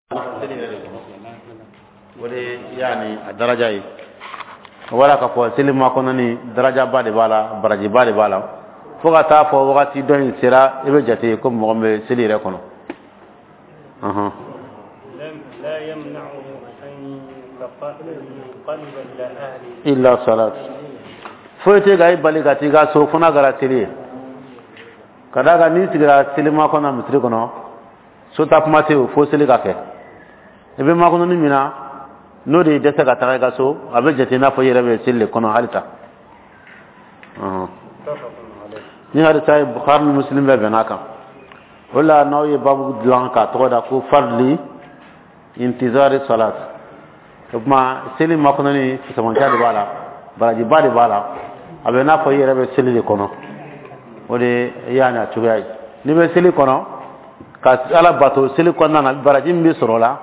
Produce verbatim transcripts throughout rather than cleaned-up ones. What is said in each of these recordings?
Seli yɛrɛ de kɔnɔ, o de yaani a daraja ye. O b'a la k'a fɔ seli makɔnɔ ni darajaba de b'a la, barajiba de b'a la, fo ka taa fɔ wagati dɔ in sera, i bɛ jate ko mɔgɔ min bɛ seli yɛrɛ kɔnɔ. Ɔhɔn. لا يمنعه أن ينقلب إلى أهله إلا الصلاة. Foyi tɛ ka i bali ka t'i ka so fo n'a kɛra seli ye. Ka d'a kan n'i sigira seli makɔnɔ misiri kɔnɔ, so ta kuma tɛ yen fo seli ka kɛ. I bɛ makɔnɔni min na, n'o de y'i dɛsɛ ka taga i ka so, a bɛ jate i n'a fɔ i yɛrɛ bɛ seli de kɔnɔ halisa. Ɔhɔn. متفق عليه. Ni hadisa ye, Bukhari ni Muslim bɛɛ bɛn'a kan. O la n'aw ye babu dilan k'a tɔgɔ da ko فضل انتظار الصلاة. O tuma seli makɔnɔni, fisamanciya de b'a la, barajiba de b'a la, a bɛ n'a fɔ i yɛrɛ bɛ seli de kɔnɔ. O de y'a n'a cogoya ye. N'i bɛ seli kɔnɔ ka Ala bato seli kɔnɔna na, baraji min bɛ sɔrɔ o la,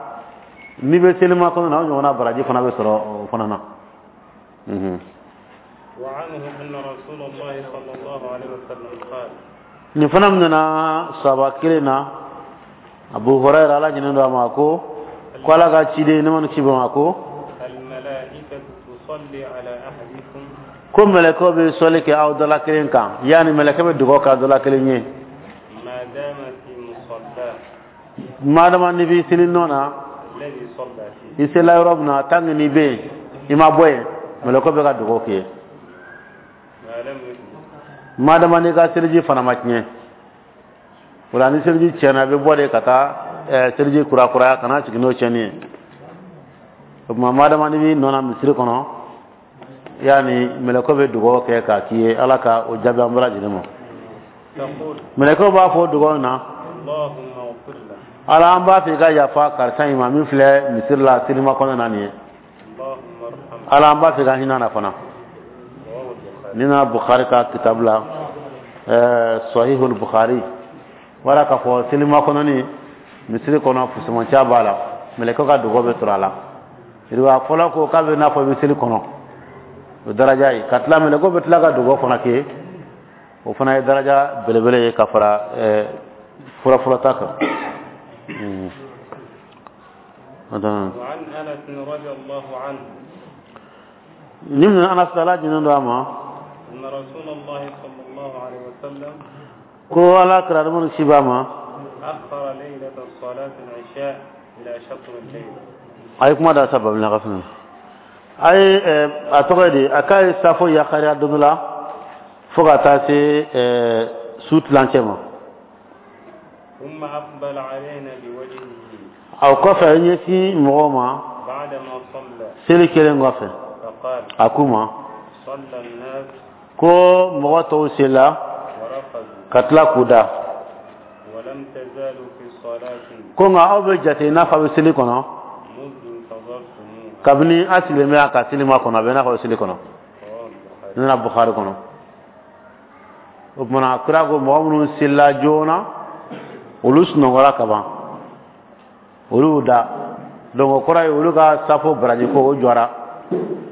n'i bɛ seli makɔnɔ na, o ɲɔgɔnna baraji fana bɛ sɔrɔ o fana na. Mhm. وعنه أن رسول الله صلى الله عليه وسلم قال: Nin fana minɛna sahaba kelen na, Abu Hurayra, Ala ɲinɛ don a ma, ko ko Ala ka ciden ne ma ni ci ma ko: الملائكة تصلي على أحدكم Ko mɛlɛkɛw bɛ sɔli kɛ aw dɔ la kelen kan, yaani mɛlɛkɛ bɛ dugawu kɛ aw dɔ la kelen ye. ما دام في مصلاه. Madama n'i b'i seli nɔ na. الذي صلى فيه. I sela yɔrɔ min na, tant que n'i bɛ yen, i ma bɔ yen, mɛlɛkɛw bɛ ka dugawu k'i ye. ما لم يحدث. Madama n'i ka seliji fana ma tiɲɛ. O la ni seliji tiɲɛna, i bɛ bɔ de ka taa ɛɛ seliji kurakuraya, kana sigi n'o tiɲɛni ye. O tuma madama n'i b'i nɔ na misiri kɔnɔ, yaani mɛlɛkɛw bɛ dugawu kɛ k'a k'i ye. Ala ka o jaabi an bɛɛ lajɛlen ma. تقول: Mɛlɛkɛw b'a fɔ o dugawu in na: اللهم اغفر له. Ala, an b'a fɛ i ka yafa karisa in ma min filɛ misiri la selima kɔnɔ na nin ye. اللهم ارحمه. Ala, an b'a fɛ i ka hinɛ na fana. رواه البخاري. Ni nana Bukhari ka kitabu la, ɛɛ Sahihul Bukhari, wala k'a fɔ selima kɔnɔni misiri kɔnɔ, fusamanciya b'a la, mɛlɛkɛw ka dugawu bɛ sɔrɔ a la. Riwaya fɔlɔ ko k'a bɛ n'a fɔ i bɛ seli kɔnɔ, o daraja ye. Ka tila, mɛlɛkɛw bɛ tila ka dugawu fana kɛ, o fana ye daraja belebele ye ka fara ɛɛ fura ta kan. Mm. Attends. وعن أنس رضي الله عنه Ni min Anas, Ala jinin don a ma, أن رسول الله صلى الله عليه وسلم ko Ala kira ni ci b'a ma, أخر ليلة صلاة العشاء إلى شطر الليل. A ye kuma da sa babila ka fɛnɛ a ye ɛɛ a tɔgɔ ye di, a k'a ye safo yakariya don dɔ la fo ka taa se ɛɛ su tilancɛ ma. ثم أقبل علينا بوجهه A kɔfɛ a ye ɲɛsin mɔgɔw ma بعدما صلى seli kelen kɔfɛ. فقال: A k'u ma: صلى الناس ko mɔgɔ tɔw sela ورقدوا ka tila k'u da. ولم تزالوا في صلاة Ko nka aw bɛ jate i n'a fɔ a bɛ seli kɔnɔ منذ انتظرتموها. kabini a sigilen bɛ a ka seli ma kɔnɔ, a bɛ n'a fɔ a bɛ seli kɔnɔ. رواه البخاري. Ne nana Bukhari kɔnɔ. O tuma kira ko mɔgɔ minnu selila joona, olu sunɔgɔra ka ban, olu y'u da. Donc o kɔrɔ ye olu ka safo baraji ko o jɔra,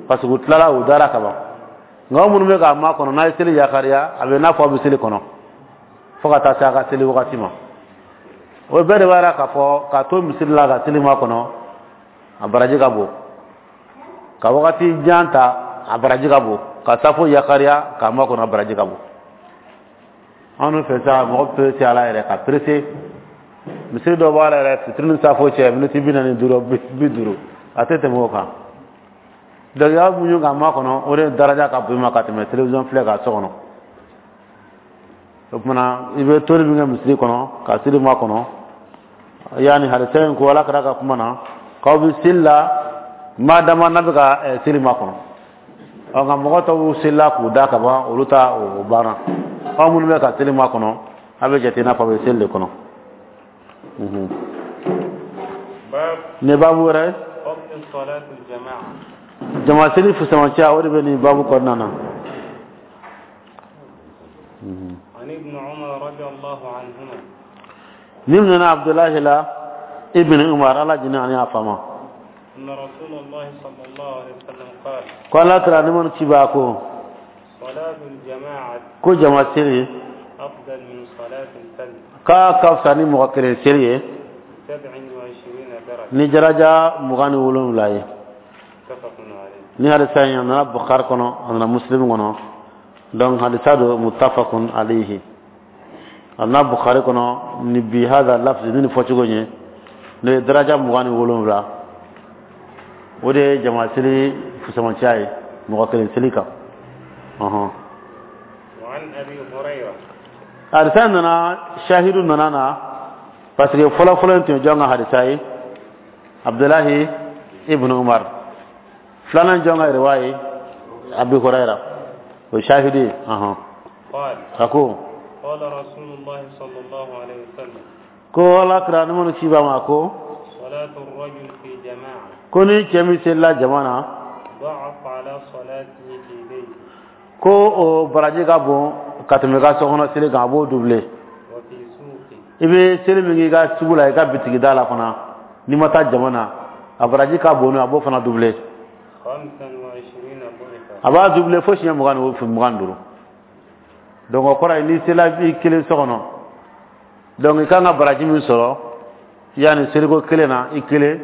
parce que u tilala, u dara ka ban. Nka aw minnu bɛ k'a makɔnɔ, n'a ye seli yakariya, a bɛ n'a fɔ aw bɛ seli kɔnɔ fo ka taa se a ka seli wagati ma. O bɛɛ de b'a yira k'a fɔ k'a to misiri la ka seli makɔnɔ, a baraji ka bon. Ka wagati jan ta, a baraji ka bon. Ka safo yakariya k'a makɔnɔ, a baraji ka bon. Anw fɛ sa, mɔgɔ pressé ala yɛrɛ ka pressé. Misiri dɔ b'a la yɛrɛ, fitiri ni safo cɛ, miniti bi naani ni duuru, bi duuru, a tɛ tɛmɛ o kan. Donc y'a muɲu k'a makɔnɔ, o de daraja ka bon i ma ka tɛmɛ télévision filɛ ka so kɔnɔ. O kumana i bɛ toli min kɛ misiri kɔnɔ ka seli makɔnɔ, yaani hadisa in ko Ala kɛra ka kuma na k'aw bɛ seli la maa dama n'a bɛ ka seli makɔnɔ. Ɔ nka mɔgɔ tɔw selila k'u da ka ban, olu ta o banna. Aw minnu bɛ ka seli makɔnɔ, a bɛ jate i n'a fɔ a bɛ seli de kɔnɔ. باب Nin baabu wɛrɛ ye. فضل صلاة الجماعة. Jama seli fusamanciya, o de bɛ nin baabu kɔnɔna na. عن ابن عمر رضي الله عنهما Ni nana Abdullahi la ibn Umar, Ala jini ani a fama, أن رسول الله صلى الله عليه وسلم قال: ko Ala kira ni man ci ba ko: صلاة الجماعة ko jama seli أفضل من صلاة الفذ k'a ka fisa ni mɔgɔ kelen seli ye. بسبع وعشرين درجة. Ni daraja mugan ni wolonwula ye. متفق عليه. Ni hadisa in, a nana Bukhari kɔnɔ, a nana Muslim kɔnɔ. Donc hadisa do muttafaqun alayhi. A nana Bukhari kɔnɔ ni bi hada lafzi, ni nin fɔcogo ye, n'o ye daraja mugan ni wolonwula. O de ye jama seli fusamanciya ye mɔgɔ kelen seli kan, ɔhɔn. وعن أبي هريرة. Hadisa nana, shahidu nana na, parce que fɔlɔ fɔlɔ in tun ye jɔn ka hadisa ye? Abdulahi ibn Umar. Filanan, jɔn ka riwaya ye? Abi Huraira. O shahidu ye, ɔhɔn. قال: A ko: قال رسول الله صلى الله عليه وسلم: Ko Ala kira ni minnu ci b'a ma ko: صلاة الرجل في جماعة Ko ni cɛ min selila jama na ضعف على صلاته في بيته ko o baraji ka bon ka tɛmɛ i ka sokɔnɔ seli kan, a b'o doublé. وفي سوقه I bɛ seli min kɛ i ka sugu la, i ka bitigida la fana, n'i ma taa jama na, a baraji ka bon, a b'o fana doublé. خمسا وعشرين ضعفا. A b'a doublé fo siɲɛ mugan ni mugan ni duuru. Donc o kɔrɔ ye, n'i sela i kelen so kɔnɔ, donc i kan ka baraji min sɔrɔ yanni seliko kelen na i kelen,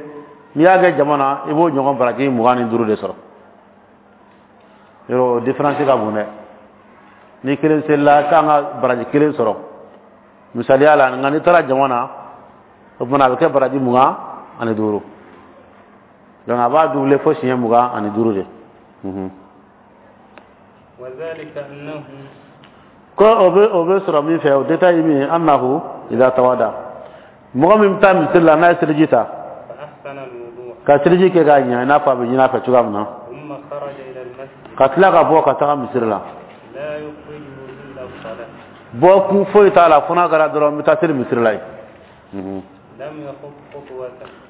n'i y'a kɛ jama na, i b'o ɲɔgɔn baraji mugan ni duuru de sɔrɔ. Yɔrɔ o différence ka bon dɛ. Ni kelen selila, i kan ka baraji kelen sɔrɔ misaliya la, nka n'i taara jama na, o tuma a bɛ kɛ baraji mugan ani duuru. Donc a b'a doublé fo siɲɛ mugan ani duuru de. Mhm. وذلك أنه Ko o bɛ o bɛ sɔrɔ min fɛ, o détail ye min ye, annahu idha tawada, mɔgɔ min bɛ taa misiri la, n'a ye seliji ta فأحسن الوضوء ka seliji kɛ k'a ɲɛ i n'a fɔ a bɛ ɲini a fɛ cogoya min na ثم خرج إلى المسجد ka tila ka bɔ ka taga misiri la لا يخرجه إلا الصلاة bɔ kun foyi t'a la fo n'a kɛra dɔrɔn n bɛ taa seli misiri la yen. Mhm. لم يخط خطوة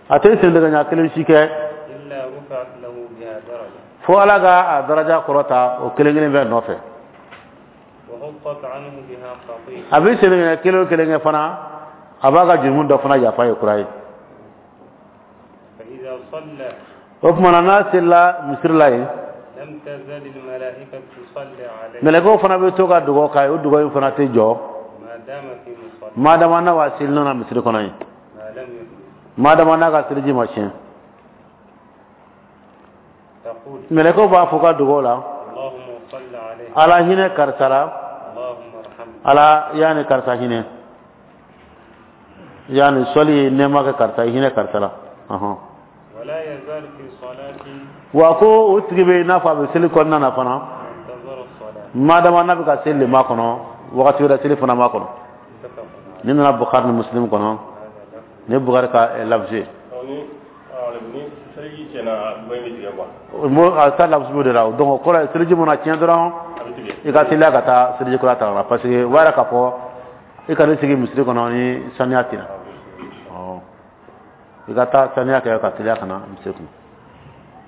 A tɛ sen ɲɛ kelen si kɛ إلا رفعت له بها درجة fo Ala ka a daraja kɔrɔta o kelen kelen bɛɛ nɔfɛ. وحطت عنه بها خطيئة. A bɛ sen ɲɛ kelen o kelen kɛ fana, a b'a ka jurumu dɔ fana yafa ye kura ye. فإذا صلى O tuma na, n'a selila misiri la yen لم تزل الملائكة تصلي عليه mɛlɛkɛw fana bɛ to ka dugawu k'a ye. O dugawu in fana tɛ jɔ ما دام في مصلى madama n'a b'a seli nɔ na misiri kɔnɔ yen ما لم يحدث. madama n'a ka seliji ma tiɲɛ. تقول: Mɛlɛkɛw b'a fɔ ka dugawu la: اللهم صل عليه. Ala hinɛ karisa la. اللهم ارحمه. Ala y'a ni karisa hinɛ, yaani sɔli ye nɛɛma kɛ karisa ye, hinɛ karisa la, ɔhɔn. ولا يزال في صلاته Wa ko o tigi bɛ i n'a fɔ a bɛ seli kɔnɔna na fana منتظر الصلاة. madama n'a bɛ ka seli le ma kɔnɔ, wagati wɛrɛ seli fana ma kɔnɔ. متفق عليه. Ni nana Bukhari ni Muslim kɔnɔ. هذا لفظ. Ni Bukhari ka eh, lafzi ye. Ni ni seliji tiɲɛna, dɔ in bɛ tigɛ quoi. Mo a ta lafzi b'o de la. Donc o kɔrɔ ye, seliji mana tiɲɛ dɔrɔn A bɛ tigɛ. i ka teliya ka taa seliji kura ta ka na, parce que o b'a yira k'a fɔ i ka n'i sigi misiri kɔnɔ ni saniya tɛ na. Ɔ, i ka taa saniya kɛ ka teliya ka na misiri kɔnɔ.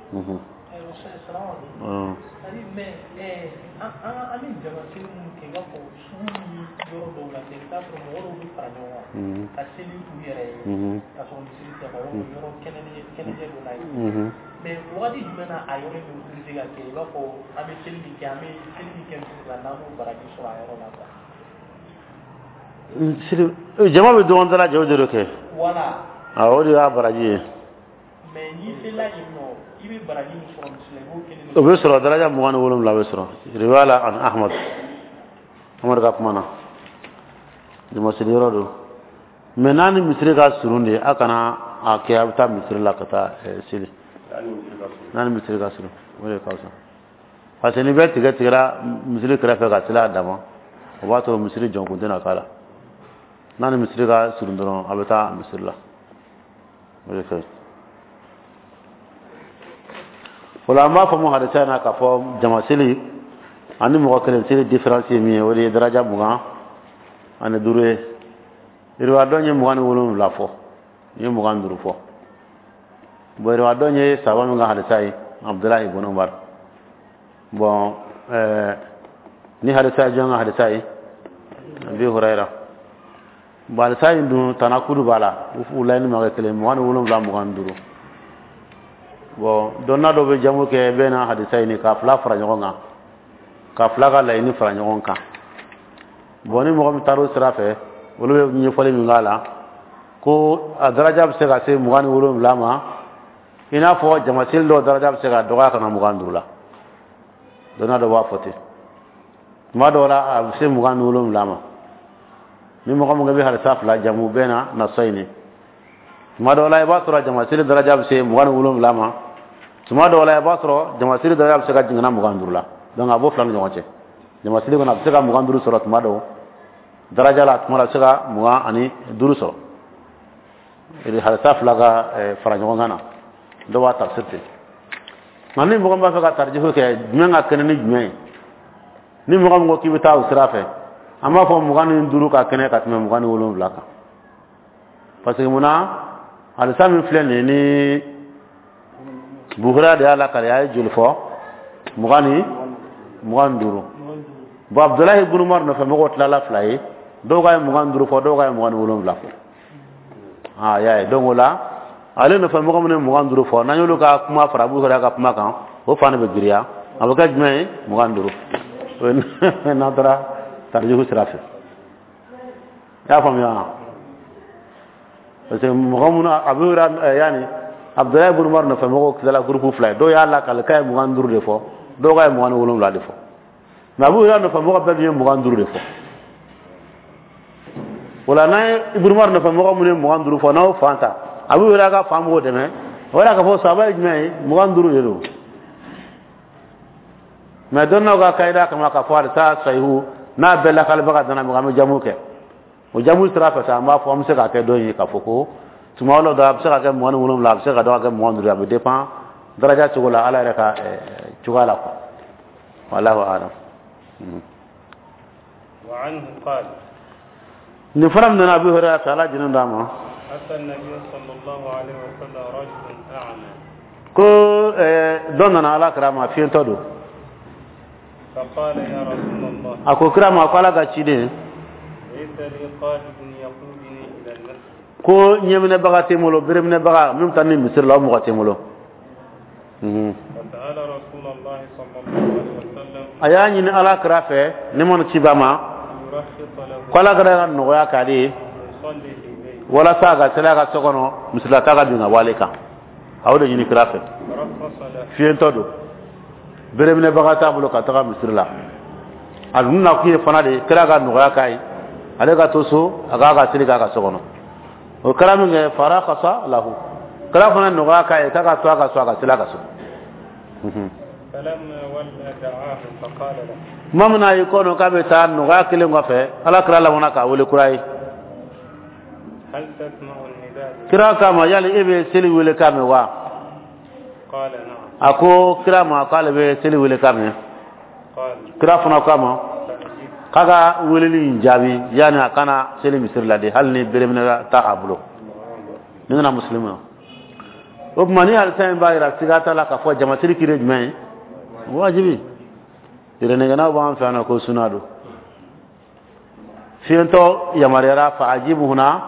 Mhm. Ayiwa, salamu aleykum. Ɔn. C'est-à-dire, mais eh, an an an bɛ jama seli minnu kɛ, i b'a fɔ sugu ni yɔrɔ dɔw la, i bɛ taa sɔrɔ mɔgɔ dɔw bɛ fara ɲɔgɔn kan Mhm. ka seli u yɛrɛ ye Mhm. ka sɔrɔ misiri tɛ, ka yɔrɔ yɔrɔ kɛnɛ kɛnɛjɛ dɔ la yen. Mhm. Mais wagati jumɛn na a yɔrɔ in bɛ autorisé ka kɛ, i b'a fɔ an bɛ seli min kɛ, an bɛ seli min kɛ misiri la, n'an b'o baraji sɔrɔ a yɔrɔ la quoi? Seli jama bɛ dɔgɔn dala jɛ, o de do kɛ. Voilà. Awɔ, o de y'a baraji ye. Mais n'i sela yen nɔ, i bɛ baraji min sɔrɔ misiri la, i b'o kelen de O bɛ sɔrɔ, daraja mugan ni wolonwula bɛ sɔrɔ. Riwaya la an Ahmad, Ahmad ka kuma na, jama seli yɔrɔ don. Mais n'a ni misiri ka surun de, a kana a kɛ a bɛ taa misiri la ka taa eh, seli. Hali misiri ka surun. N'a ni misiri ka surun, o de ka fisa, parce que ni bɛɛ tigɛ tigɛra misiri kɛrɛfɛ ka seli a dama, o b'a to misiri jɔnkun tɛna k'a la. N'a ni misiri ka surun dɔrɔn, a bɛ taa misiri la, o de ka ɲi. O la, an b'a fɔ mu hadisa in na k'a fɔ jama seli ani mɔgɔ kelen seli différence ye min ye, o de ye daraja mugan ani duuru ye. Riwaya dɔ ye mugan ni wolonwula fɔ, n ye mugan ni duuru fɔ. Bon, riwaya dɔ ye saba min ka hadisa ye, Abdulahi ibn Umar. Bon, ɛɛ ni hadisa ye jɔn ka hadisa ye? Abi Hurayra. Bon, hadisa in dun tanakudu b'a la, u laɲini ma kɛ kelen, mugan ni wolonwula, mugan ni duuru. Bon, dɔnna dɔ bɛ jamu kɛ bɛɛ n'a hadisa in k'a fila fara ɲɔgɔn kan, ka fila ka laɲini fara ɲɔgɔn kan. Bon, ni mɔgɔ min taara o sira fɛ, olu bɛ ɲɛfɔli min k'a la. Ko a daraja bɛ se ka se mugan ni wolonwula ma, i n'a fɔ jamaseli dɔw daraja bɛ se ka dɔgɔya ka na mugan ni duuru la. Dɔnniya dɔ b'a fɔ ten, tuma dɔw la a bɛ se mugan ni wolonwula ma. Ni mɔgɔ min bɛ hadisa fila jamu bɛɛ na nasɔ ɲini, tuma dɔw la i b'a sɔrɔ jamaseli daraja bɛ se mugan ni wolonwula ma, tuma dɔw la i b'a sɔrɔ jamaseli daraja bɛ se ka jigin mugan ni duuru la. Donc a b'o fila ni ɲɔgɔn cɛ. Jamaseli kɔnɔ, a bɛ se ka mugan duuru sɔrɔ tuma dɔw daraja la, tuma dɔ a bɛ se ka mugan ani duuru sɔrɔ. Hadisa fila ka fara ɲɔgɔn kan na, dɔw b'a tafsir ten. Nka ni mɔgɔ min b'a fɛ ka tarijihu kɛ, jumɛn ka kɛnɛ ni jumɛn ye? Ni mɔgɔ min ko k'i bɛ taa o sira fɛ, an b'a fɔ mugan ni duuru ka kɛnɛ ka tɛmɛ mugan ni wolonwula kan, parce que munna? Hadisa min filɛ nin ye, ni Buhari de y'a lakale, a ye joli fɔ? Mugan ni mugan ni duuru. Bon, Abudulayi ibn Umar nɔfɛ mɔgɔw tilala fila ye: dɔw ka ye mugan ni duuru fɔ, dɔw ka ye mugan ni wolonwula fɔ. Aa, y'a ye? Donc o la, ale nɔfɛ mɔgɔ minnu ye mugan ni duuru fɔ, n'an y'olu ka kuma fara Abu Hurayra ka kuma kan, o fan de bɛ girinya, a bɛ kɛ jumɛn ye? Mugan ni duuru. O ye n'an taara tarijihu sira fɛ. I y'a faamuya wa? Parce que mɔgɔ minnu, Abu Hurayra, yanni Abudulayi ibn Umar nɔfɛ mɔgɔw tilala groupe fila ye: dɔw y'a lakale k'a ye mugan ni duuru de fɔ, dɔw k'a ye mugan ni wolonwula de fɔ. Mais Abu Hurayra nɔfɛ mɔgɔ bɛɛ dun ye mugan ni duuru de fɔ. O la, n'an ye Ibn Umar nɔfɛ mɔgɔ minnu ye mugan ni duuru fɔ, n'aw fan ta, Abu Hurayra ka fan b'o dɛmɛ, o yɛrɛ k'a fɔ sahaba ye jumɛn ye? Mugan ni duuru de don. Mais dɔnniyaw ka kayida kama, k'a fɔ hadisa sahihu n'a bɛɛ lakalibaga dana mɔgɔ, an bɛ jamu kɛ o jamu sira fɛ sa. An b'a fɔ an bɛ se k'a kɛ dɔ ye k'a fɔ ko tuma dɔw la a bɛ se ka kɛ mugan ni wolonwula, a bɛ se ka dɔ ka kɛ mugan ni duuru, a bɛ dépend daraja cogo la, Ala yɛrɛ ka cogoya la quoi. Wallahu a'lam. وعنه قال: Nin fana min nana Abu Hurairah fɛ, Ala jinin d'a ma. أتى النبي صلى الله عليه وسلم رجل أعمى. Ko dɔ nana Ala kira ma, fiyentɔ don. فقال: يا رسول الله، A ko kira ma ko Ala ka ciden، ليس لي قائد يقودني إلى المسجد. Ko ɲɛminɛbaga tɛ n bolo, bereminɛbaga min bɛ taa ni misiri la, o mɔgɔ tɛ n bolo. فسأل رسول الله صلى الله عليه وسلم A y'a ɲini Ala kira fɛ, ne mana ci ba ma، أن يرخص له، ko Ala kira ka nɔgɔya k'ale ye، يصلي في بيته. Walasa a ka seli a ka so kɔnɔ, misilata ka bin ka bɔ ale kan. A y'o de ɲini kira fɛ. فرخص له. Fiyentɔ don, bereminɛbaga t'a bolo ka taga misiri la. A dun na kun ye fana de kira ka nɔgɔya k'a ye, ale ka to so, a k'a ka seli k'a ka so kɔnɔ. O kɛra min kɛ, فرخص له, kira fana nɔgɔya k'a ye k'a ka to a ka so, a ka seli a ka so. فلما ولى دعاه فقال له: Tuma min na a y'i kɔ dɔn k'a bɛ taa, nɔgɔya kelen kɔfɛ, Ala kira labanna k'a wele kura ye. هل تسمع النداء؟ Kira k'a ma: yali e bɛ seli wele k'a mɛn wa? قال: نعم. A ko kira ma k'ale bɛ seli wele k'a mɛn. قال: Kira fana k'a ma فأجب. K'a ka weleli in jaabi, yanni a kana seli misiri la de, hali ni bereminɛ t'a bolo. Ni nana Musilimu na, o tuma ni hadisa in b'a yira siga t'a la k'a fɔ jamasiri kiri ye jumɛn ye? Wajibi. Yɛrɛnɛgɛnnaw b'an fɛ yan nɔ ko suna don. Fiyentɔ yamaruyara, فأجبه هنا,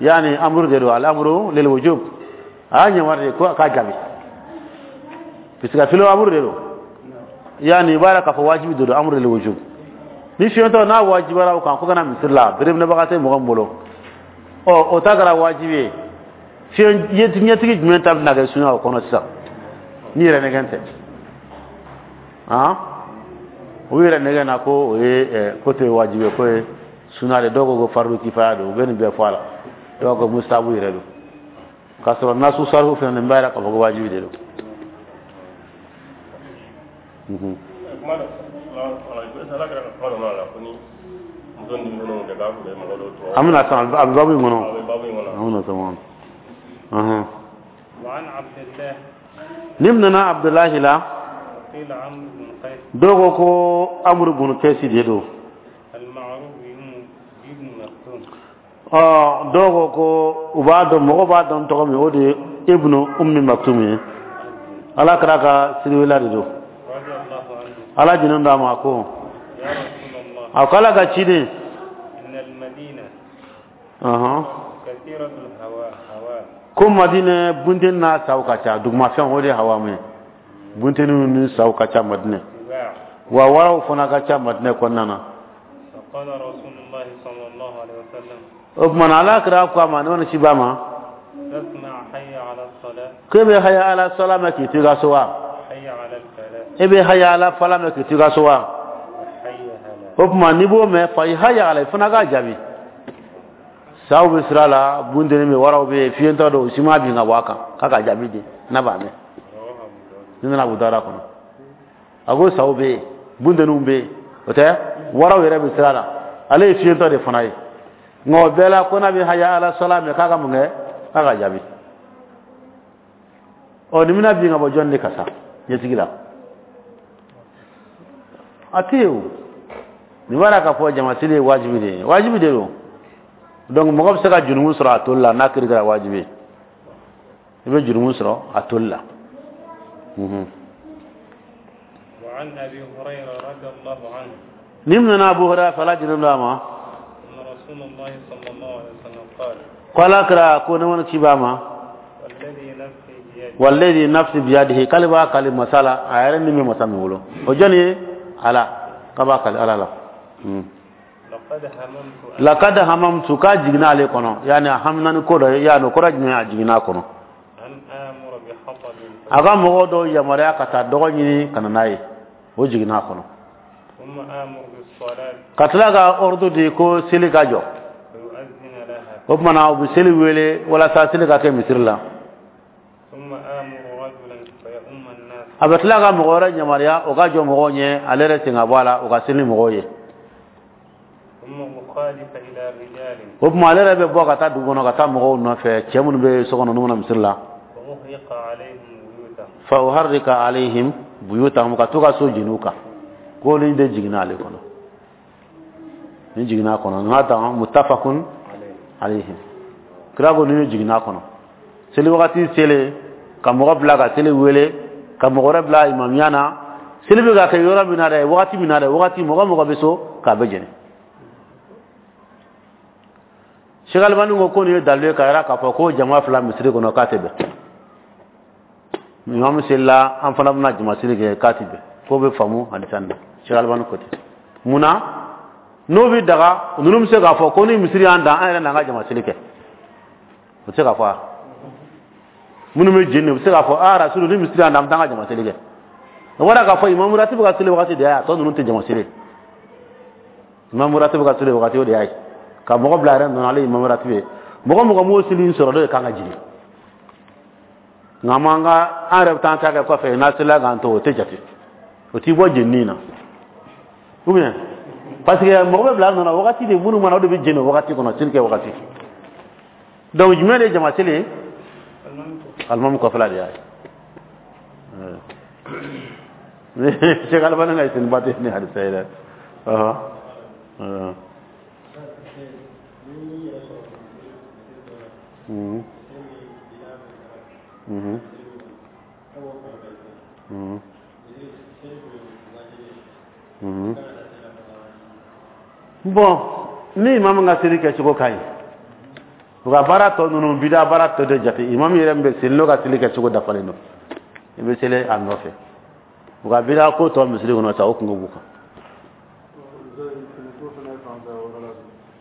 yani أمر de don, الأمر للوجوب. A y'a yamaru de ko a k'a jaabi, puisque filo أمر de don, yani i b'a yira k'a fɔ wajibi de don, أمر للوجوب. Ni fiyentɔ n'a wajibara o kan ko kana misiri la, bereminɛbaga tɛ mɔgɔ min bolo, ɔ, o ta kɛra wajibi ye. Fiɲɛ ɲɛtigi jumɛn ta bɛna kɛ sunya o kɔnɔ sisan ni yɛrɛ nɛgɛn tɛ? Han, o yɛrɛ nɛgɛn na ko o ye ko tɛ wajibi ye, ko ye suna de. Dɔw ko ko فرض كفاية don, u bɛ nin bɛɛ fɔ a la. Dɔw ko مستحب yɛrɛ don, k'a sɔrɔ nasu sarifu fɛnɛ nin b'a yira k'a fɔ ko wajibi de don. Kuma dɔ ala kɛra ka kuma dɔ la ko ni muso ni denmisɛnninw kɛ k'a tun bɛ mɔgɔ dɔw tɔɔrɔ. An bɛna sɔn, a bɛ babu in kɔnɔ. A bɛ babu in kɔnɔ. An bɛna sɔn kɔnɔ. Ɔhɔn. وعن عبد الله. Ni nana Abudulayi la. وقيل عمرو بن قيس. Dɔw ko ko Amuru bun Kɛsi de don. المعروف بابن مكتوم. Ɔ, dɔw ko ko u b'a dɔn, mɔgɔ b'a dɔn tɔgɔ min, o de ye Ibnu Ummi Maktum ye, Ala kɛra ka siriwela de don. رضي الله عنه. Ala jinin d'a ma ko: يا رسول الله، A ko Ala ka ciden، إن المدينة ɔhɔn كثيرة الهواء هواء. Ko Madinɛ bunteni n'a saw ka ca, dugumafɛn, o de ye هوام ye, bunteniw ni saw ka ca Madinɛ. سباع. Wa waraw fana ka ca Madinɛ kɔnɔna na. فقال رسول الله صلى الله عليه وسلم: O tuma na Ala kira ko a ma, ne ni ba ma, تسمع حي على الصلاة؟ K'e bɛ haya ala sɔla mɛn k'i to i ka so wa? حي على الفلاح. E bɛ haya ala fala mɛn k'i to i ka so wa? حي هلا. O tuma n'i b'o mɛn, fa i haya ala, i fana k'a jaabi. Saw bɛ sira la, bunteni bɛ, waraw bɛ yen, fiyentɔ dɔw si ma bin ka bɔ a kan k'a ka jaabi di n'a b'a mɛn. رواه أبو داود. Ni nana Abu Dawuda kɔnɔ, a ko saw bɛ yen, bunteniw bɛ yen, o tɛ, waraw yɛrɛ bɛ sira la, ale ye fiyentɔ de fana ye, nka o bɛɛ la, ko n'a bɛ haya ala sɔla mɛn, k'a ka mun kɛ? K'a ka jaabi. Ɔ, nin bɛna bin ka bɔ jɔn de kan sa ɲɛsigi la? A tɛ yen. O nin b'a la k'a fɔ jamasili ye wajibi de ye, wajibi de don. Donc mɔgɔ bɛ se ka jurumu sɔrɔ a toli la n'a kiri kɛra wajibi ye, i bɛ jurumu sɔrɔ a toli la. Mhm. وعن أبي هريرة رضي الله عنه Ni nana Abu Hurairah fɛ, Ala jɛnnen don a ma, أن رسول الله صلى الله عليه وسلم قال: ko Ala kira ko, ne mana ci b'a ma, والذي نفسي بيده، والذي نفسي بيده, k'ale b'a kali masa la, a yɛrɛ ni bɛ masa min bolo, o jɔn ye? Ala. K'a b'a kali Ala la. Hmm. لقد هممت أن لقد هممت, k'a jiginna ale kɔnɔ, yani a hamina ni ko dɔ ye, yani o kɔrɔ jumɛn? A jiginna a kɔnɔ أن آمر بحطب a ka mɔgɔw dɔw yamaruya ka taa dɔgɔ ɲini ka na n'a ye, o jiginna a kɔnɔ. ثم آمر بالصلاة Ka tila ka ordre di ko seli ka jɔ. فيؤذن لها. O tuma na u bɛ seli wele walasa seli ka kɛ misiri la. ثم آمر رجلا فيؤم الناس. A bɛ tila ka mɔgɔ wɛrɛ yamaruya, o ka jɔ mɔgɔw ɲɛ, ale yɛrɛ sen ka bɔ a la, o ka seli ni mɔgɔw ye. ثم أخالف إلى رجال. O tuma ale yɛrɛ bɛ bɔ ka taa dugu kɔnɔ ka taa mɔgɔw nɔfɛ, cɛ minnu bɛ so kɔnɔ n'u mana misiri la. فأحرق عليهم بيوتهم. فأحرق عليهم بيوتهم, ka to ka so jeni u kan, ko nin de jiginna ale kɔnɔ, nin jiginna a kɔnɔ. N'a ta متفق عليه. Kira ko nin jiginna a kɔnɔ, seli wagati selen, ka mɔgɔ bila ka seli wele, ka mɔgɔ wɛrɛ bila imamiya na, seli bɛ ka kɛ yɔrɔ min na dɛ, wagati min na dɛ, wagati mɔgɔ mɔgɔ bɛ so k'a bɛ jeni. Cheikh Albani ko ko nin ye dalilu ye ka yira k'a fɔ ko jama fila misiri kɔnɔ k'a tɛ bɛn. Imam selila, an fana bɛna jama seli kɛ, k'a tɛ bɛn, k'o bɛ faamu hadisa nin na. Cheikh Albani ko ten. Munna n'o bɛ daga? Ninnu bɛ se k'a fɔ ko ni misiri y'an dan, an yɛrɛ n'an ka jama seli kɛ, o tɛ se k'a fɔ wa? Minnu bɛ jeni, u bɛ se k'a fɔ: aa rasulu, ni misiri y'an dan, an bɛ taa an ka jama seli kɛ. O bɔra k'a fɔ imam ratibu ka seli wagati de y'a ye, a tɔ ninnu tɛ jama seli. Imam ratibu ka seli wagati, o de y'a ye ka mɔgɔ bila a yɛrɛ nɔ na, ale ye imam ratibu ye. Mɔgɔ mɔgɔ m'o seli in sɔrɔ, dɔ de kan ka jigin. Nka m'an ka an yɛrɛ bɛ taa an ta kɛ kɔfɛ, n'a selila k'an to, o tɛ jate, o t'i bɔ jenini na, ou bien parce que mɔgɔ bɛ bila a nɔ na wagati de, minnu mana, o de bɛ jeni o wagati kɔnɔ, seli kɛ wagati. Donc jumɛn de ye jama seli ye? Alimami kɔfɛla de y'a ye. Cheikh Albani ka istinbat ni hadisa ye dɛ. Ɔhɔ ɔhɔ. Mhm. Mhm. Mhm. Mhm. Bon, ni imam ka seli kɛcogo ka ɲi, u ka baara tɔ ninnu, bida baara tɔ de jate. Imam yɛrɛ min bɛ seli, n'o ka seli kɛcogo dafalen don, i bɛ seli a nɔfɛ. U ka bida ko tɔ misiri kɔnɔ sa, o kungo b'u kan.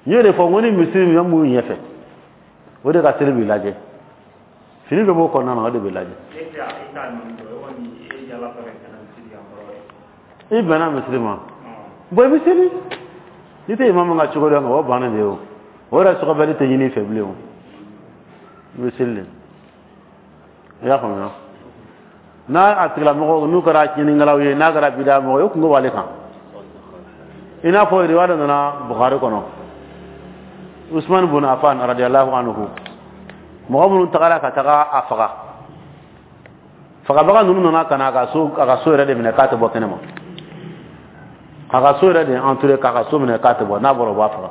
N y'o de fɔ n ko ni misiri min b'u ɲɛfɛ, o de ka seli b'i lajɛ, fini dɔ b'o kɔnɔna na, o de bɛ lajɛ. I bɛnna misiri ma, bon, i bɛ seli. N'i tɛ imamu ka cogo dɔn, o bannen de ye. O o yɛrɛ sɔgɔbɛli tɛ ɲini i fɛ bilen. O i bɛ seli de, i y'a faamuya? N'a a tigilamɔgɔ n'u kɛra tiɲɛnikɛlaw ye, n'a kɛra bida mɔgɔ ye, o kungo b'ale kan. I n'a fɔ riwaya dɔ nana Bukhari kɔnɔ, Usman bun Affan رضي الله عنه, mɔgɔ minnu tagara ka taga a faga, fagabaga ninnu nana ka na a ka so, a ka so yɛrɛ de minɛ k'a tɛ bɔ kɛnɛ ma. A ka so yɛrɛ de entouré k'a ka so minɛ k'a tɛ bɔ, n'a bɔra, u b'a faga.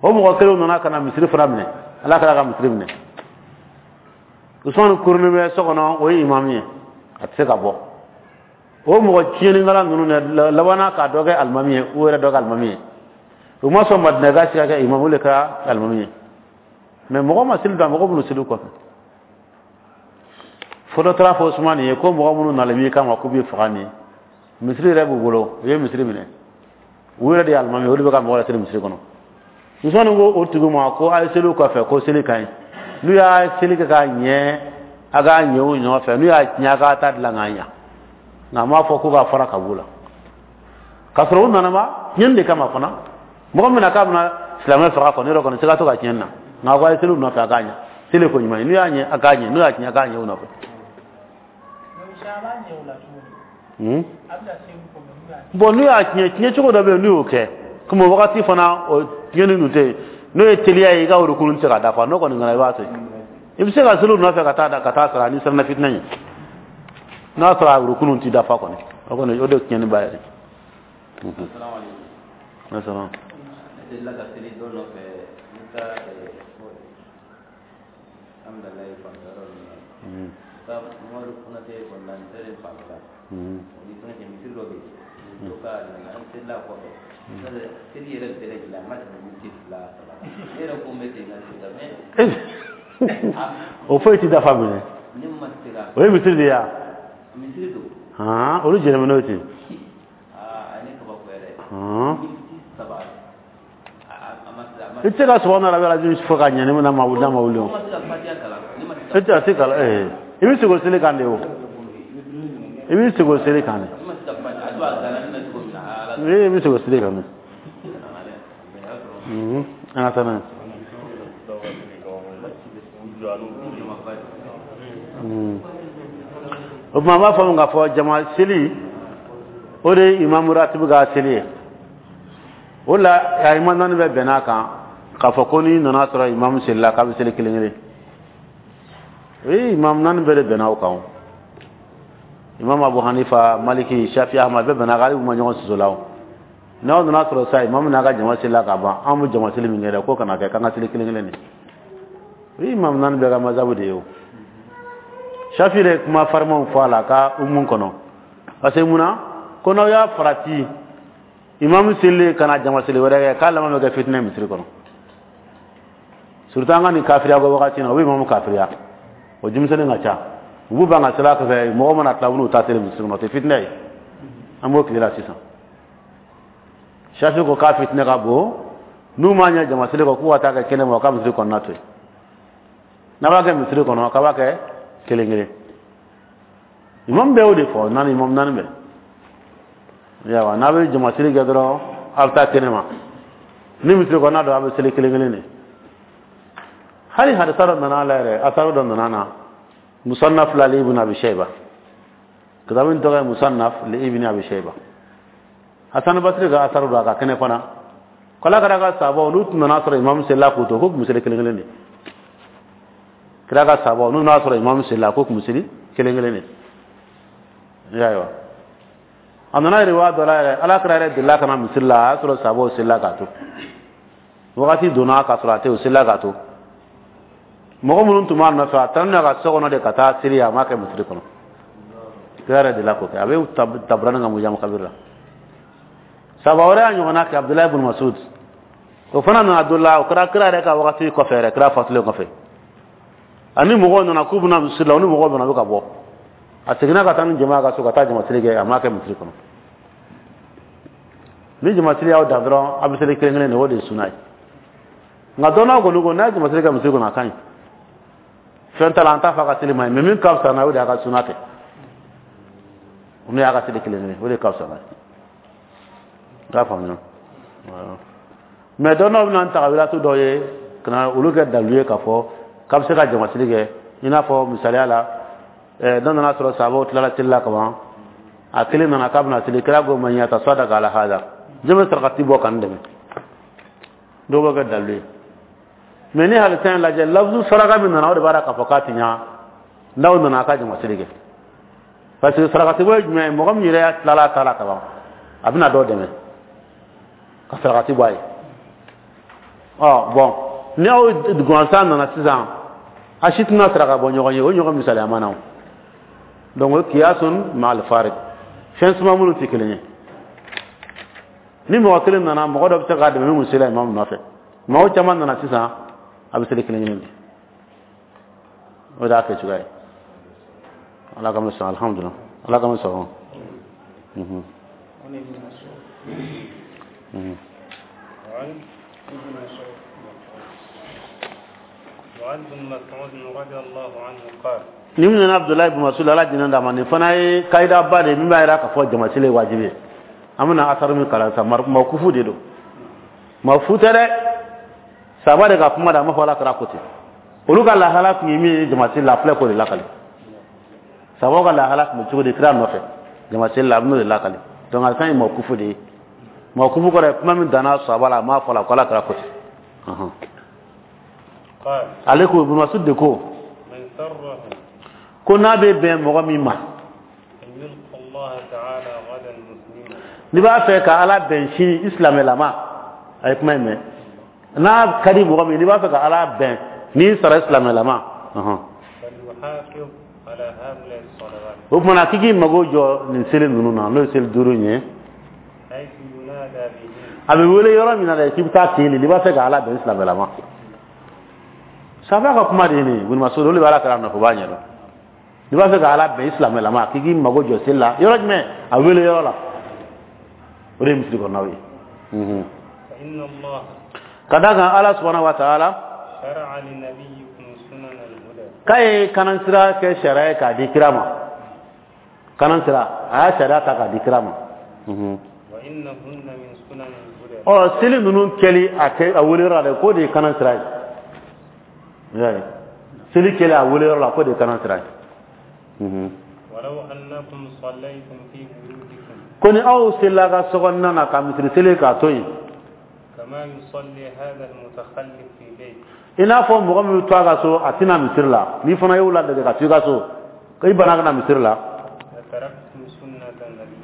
O mɔgɔ kelenw nana ka na misiri fana minɛ, Ala kɛra ka misiri minɛ. Usman kurunin bɛ so kɔnɔ, o ye imamu ye, a tɛ se ka bɔ. O mɔgɔ tiɲɛnikɛla ninnu dɛ labanna k'a dɔ kɛ alimami ye, u yɛrɛ dɔ kɛ alimami ye. U ma sɔn Madina ka si ka kɛ imamu, o de kɛra alimami ye. Mais mɔgɔ ma seli dan, mɔgɔ minnu seli kɔfɛ, fo dɔ taara fɔ Usumani ye ko mɔgɔ minnu nalen b'i kama k'u b'i faga nin ye, misiri yɛrɛ b'u bolo, u ye misiri minɛ, u yɛrɛ de ye alimami ye, olu bɛ ka mɔgɔ laseli misiri kɔnɔ. Usmani ko o tigi ma ko a ye seli kɔfɛ, ko seli ka ɲi. N'u y'a seli kɛ k'a ɲɛ, a k'a ɲɛ u nɔfɛ. N'u y'a tiɲɛ, a k'a ta dilan k'a ɲa. Nka a m'a fɔ ko k'a fara ka b'u la, k'a sɔrɔ u nana ma tiɲɛni de kama fana. Mɔgɔ min na k'a bɛna silamɛ faga kɔni, yɔrɔ kɔni siga to ka tiɲɛni na. Nka a ko a ye seli u nɔfɛ, a k'a ɲɛ. Seli ko ɲuman ye, n'u y'a ɲɛ, a k'a ɲɛ. N'u y'a tiɲɛ, a k'a ɲɛ u nɔfɛ. Hmm? Bon, n'u y'a tiɲɛ, tiɲɛ cogo dɔ bɛ yen, n'u y'o kɛ komi o wagati fana, o tiɲɛni dun tɛ yen. N'o ye teliya ye, i ka rukunu tɛ se ka dafa. N'o kɔni kɛra, i b'a to yen. I bɛ se ka seli u nɔfɛ ka taa ka taa sara ni siranna fitinɛ ɲɛ. N'a sɔrɔ a rukunu ti dafa kɔni, o kɔni, o de ye tiɲɛni ba yɛrɛ. Asalaam. Ne delila ka seli dɔ nɔfɛ, n bɛ taa Amudalayi fanfɛ yɔrɔ ninnu na. Taa Umaru Konate ekɔli la, n selen fanfɛ la. O ni fɛngɛ cɛ, misiri dɔ bɛ yen. Dɔ ka an selila kɔfɛ. Seli yɛrɛ bɛɛ lajɛlen, a ma tɛmɛ miniti fila saba kan. Ne yɛrɛ ko n bɛ segin ka seli kan mais O foyi ti dafa minɛ. Ne ma se ka. O ye misiri de ye wa? Misiri don. Han, olu jɛnɛmɛ n'o ten. Aa, a ye ne kabako yɛrɛ. Han. Miniti saba, a a ma se a ma. I tɛ se ka subahana rabiyal azim fɔ ka ɲɛ ni n'a ma wuli, n'a ma wuli o. Ne ma se ka fatiya kalan. Ne ma se ka. E tɛ se kalan ɛɛ i bɛ segin o seli kan de, o i bɛ segin o seli kan de. Ne ma se ka fatiya, a don a gana ne na cogo min na, ala. I bɛ segin o seli kan de. Mhm. An ka taa n'a ye. Mhm. O tuma, an b'a faamu k'a fɔ jama seli, o de ye imamu ratibu ka seli ye. O la, a imam naani bɛɛ bɛnn'a kan k'a fɔ ko n'i nana sɔrɔ imamu selila, k'a bɛ seli kelen kelen. O ye imam naani bɛɛ de bɛnna o kan. O imam Abu Hanifa, Maliki, Shafi, Ahmad, bɛɛ bɛnna kan, hali u ma ɲɔgɔn soso la. O n'aw nana sɔrɔ sa imamu n'a ka jama selila ka ban, an bɛ jama seli min kɛ dɛ, k'o kana kɛ, k'an ka seli kelen kelen de. O ye imam naani bɛɛ ka mazabu de ye. O Shafi yɛrɛ ye kuma farimanw fɔ a la a ka umu kɔnɔ, parce que munna ko n'aw y'a farati imamu selilen ka na jama seli wɛrɛ kɛ, k'a laban bɛ kɛ fitinɛ misiri kɔnɔ, surtout an ka nin kafiriya ko wagati in na. O bɛ imamu kafiriya, o denmisɛnnin ka ca, u b'u ban ka seli a kɔfɛ. Mɔgɔ mana tila, u b'u ta seli misiri kɔnɔ, o tɛ fitinɛ ye. An b'o tile la sisan. Shafi ko k'a fitinɛ ka bon. N'u m'a ɲɛ jama seli kɔ, k'u ka taa kɛ kɛnɛ ma, u ka misiri kɔnɔna to yen. N'a b'a kɛ misiri kɔnɔ, k'a b'a kɛ kelen kelen. Imam bɛɛ y'o de fɔ, naani, imam naani bɛɛ. Yawa, n'a bɛ jama seli kɛ dɔrɔn, a bɛ taa kɛnɛ ma. Ni misiri kɔnɔna don, a bɛ seli kelen kelen de. Hali hadisa dɔ nana a la yɛrɛ, asaru dɔ nana na Musannaf la li Ibn Abi Shayba, kitabu in tɔgɔ ye Musannaf li Ibn Abi Shayba. Hasan Basri ka asaru don, a ka kɛnɛ fana. K'ala kɛra ka sabaw, n'u tun nana sɔrɔ imam selila k'u to, k'u tun bɛ seli kelen kelen de. Kira ka sabaw, n'u nana sɔrɔ imam selila, k'u tun bɛ seli kelen kelen de. I y'a ye wa? A nana riwaya dɔ la yɛrɛ, ala kira yɛrɛ delila ka na misiri la, a y'a sɔrɔ sabaw selila k'a to. Wagati donna k'a sɔrɔ a tɛ, o selila k'a to. Mɔgɔ minnu tun b'a nɔfɛ, a taara n'u ye a ka so kɔnɔ de ka taa seli, a m'a kɛ misiri kɔnɔ. Kira yɛrɛ delila k'o kɛ, a bɛ Tabarani ka Mujamu Kabiri la. Saba wɛrɛ y'a ɲɔgɔnna kɛ, Abudulayi ibn Masud, o fana nana don la, o kɛra kira yɛrɛ ka wagati kɔfɛ yɛrɛ, kira fatulen kɔfɛ. Ani mɔgɔw nana k'u bɛna misiri la, u ni mɔgɔw bɛna, u bɛ ka bɔ. A seginna ka taa ni jama ka so ka taa jama seli kɛ, a m'a kɛ misiri kɔnɔ. Ni jama seli y'aw dan dɔrɔn, a bɛ seli kelen kelen de, o de ye suna ye. Nka dɔnnaw kɔni ko n'a ye jama seli kɛ misiri kɔnɔ, a ka ɲi, fɛn t'a la, an t'a fɔ a ka seli ma ɲi. Mais min ka fisa n'a ye, o de y'a ka suna kɛ, n'o y'a ka seli kelen kelen, o de ka fisa n'a ye. I y'a faamuya? Mais dɔnnaw bɛna tagawilatu dɔw ye ka na olu kɛ dalu ye k'a fɔ k'a bɛ se ka jama seli kɛ. I n'a fɔ misaliya la, dɔ nana sɔrɔ sabaw tilala seli la kaban, a kelen nana k'a bɛna seli. Kira ko man yatasadaka ala hada, jɔn bɛ sarakati bɔ ka n dɛmɛ? Dɔw bɛ kɛ dalu ye. Mais ni hadisa in lajɛ, lafzu saraka min nana, o de b'a la k'a fɔ k'a ti ɲa n'aw nana a ka jama seli kɛ, parce que sarakati bɔ ye jumɛn ye? Mɔgɔ min yɛrɛ tilala a ta la kaban, a bɛna dɔ dɛmɛ ka sarakati bɔ a ye. Ɔ bɔn, ni aw gansan nana sisan, a si tɛna saraka bɔ ɲɔgɔn ye, o ɲɔgɔn misaliya ma na. O donc, o kiyasun ma'al farid, fɛn suma minnu tɛ kelen ye. Ni mɔgɔ kelen nana, mɔgɔ dɔ bɛ se k'a dɛmɛ min sela imamu nɔfɛ. Mɔgɔ caman nana sisan, a bɛ seli kelen kelen de. O de y'a kɛ cogoya ye. Ala ka sɔn, alhamdulilah, Ala ka sɔn. Mhm. Mhm. وعن ابن مسعود رضي الله عنه قال Ni min nana Abdullahi bin Mas'ud, Ala diinɛ d'a ma, nin fana ye kayida ba de ye min b'a jira k'a fɔ jamasili ye wajibi ye. An bɛna asaru min kalan sisan, mawkufu de don, mawfu tɛ dɛ, saba de ka kuma da, a ma fɔ Ala kɛra ko ten. Olu ka lahala tun ye min ye jamasili la, a filɛ k'o de lakale. Sabaw ka lahala tun bɛ cogo di kira nɔfɛ jamasili la, a bɛn'o de lakale. Donc a kan ye mawkufu de ye. Mawkufu kɔrɔ ye kuma min danna saba la, a ma fɔ la ko Ala kɛra ko ten. Ale ko, Ibn Mas'ud de ko ko n'a bɛ bɛn mɔgɔ min ma, n'i b'a fɛ ka Ala bɛn sini i silamɛlama, a ye kuma in mɛn, n'a ka di mɔgɔ min, n'i b'a fɛ ka Ala bɛn n'i sara silamɛlama, o tuma na k'i k'i mago jɔ nin seli ninnu na, n'o ye seli duuru in ye, a bɛ wele yɔrɔ min na dɛ, k'i bɛ taa ten de, n'i b'a fɛ ka Ala bɛn silamɛlama. Saba ka kuma de ye nin ye, Ibn Mas'ud, olu de bɛ Ala kɛra nɔfɛ, u b'a ɲɛdɔn. N'i b'a fɛ ka Ala bɛn i silamɛlama, k'i k'i mago jɔ seli la yɔrɔ jumɛn, a wele yɔrɔ la, o de ye misiri kɔnɔnaw ye. Ka d'a kan Ala subahana wa taala k'a ye kanansira kɛ sariya ye k'a di kira ma, kanansira a y'a sariya ta k'a di kira ma. Ɔ seli ninnu kɛli a kɛ a wele yɔrɔ la dɛ, k'o de ye kanansira ye. Seli kɛli a wele yɔrɔ la, k'o de ye kanansira ye. Ko ni aw selila ka sokɔnɔna na ka misiri seli k'a to yen, i n'a fɔ mɔgɔ min bɛ to a ka so, a tɛna misiri la, n'i fana y'o ladege ka to i ka so, ko i banna ka na misiri la,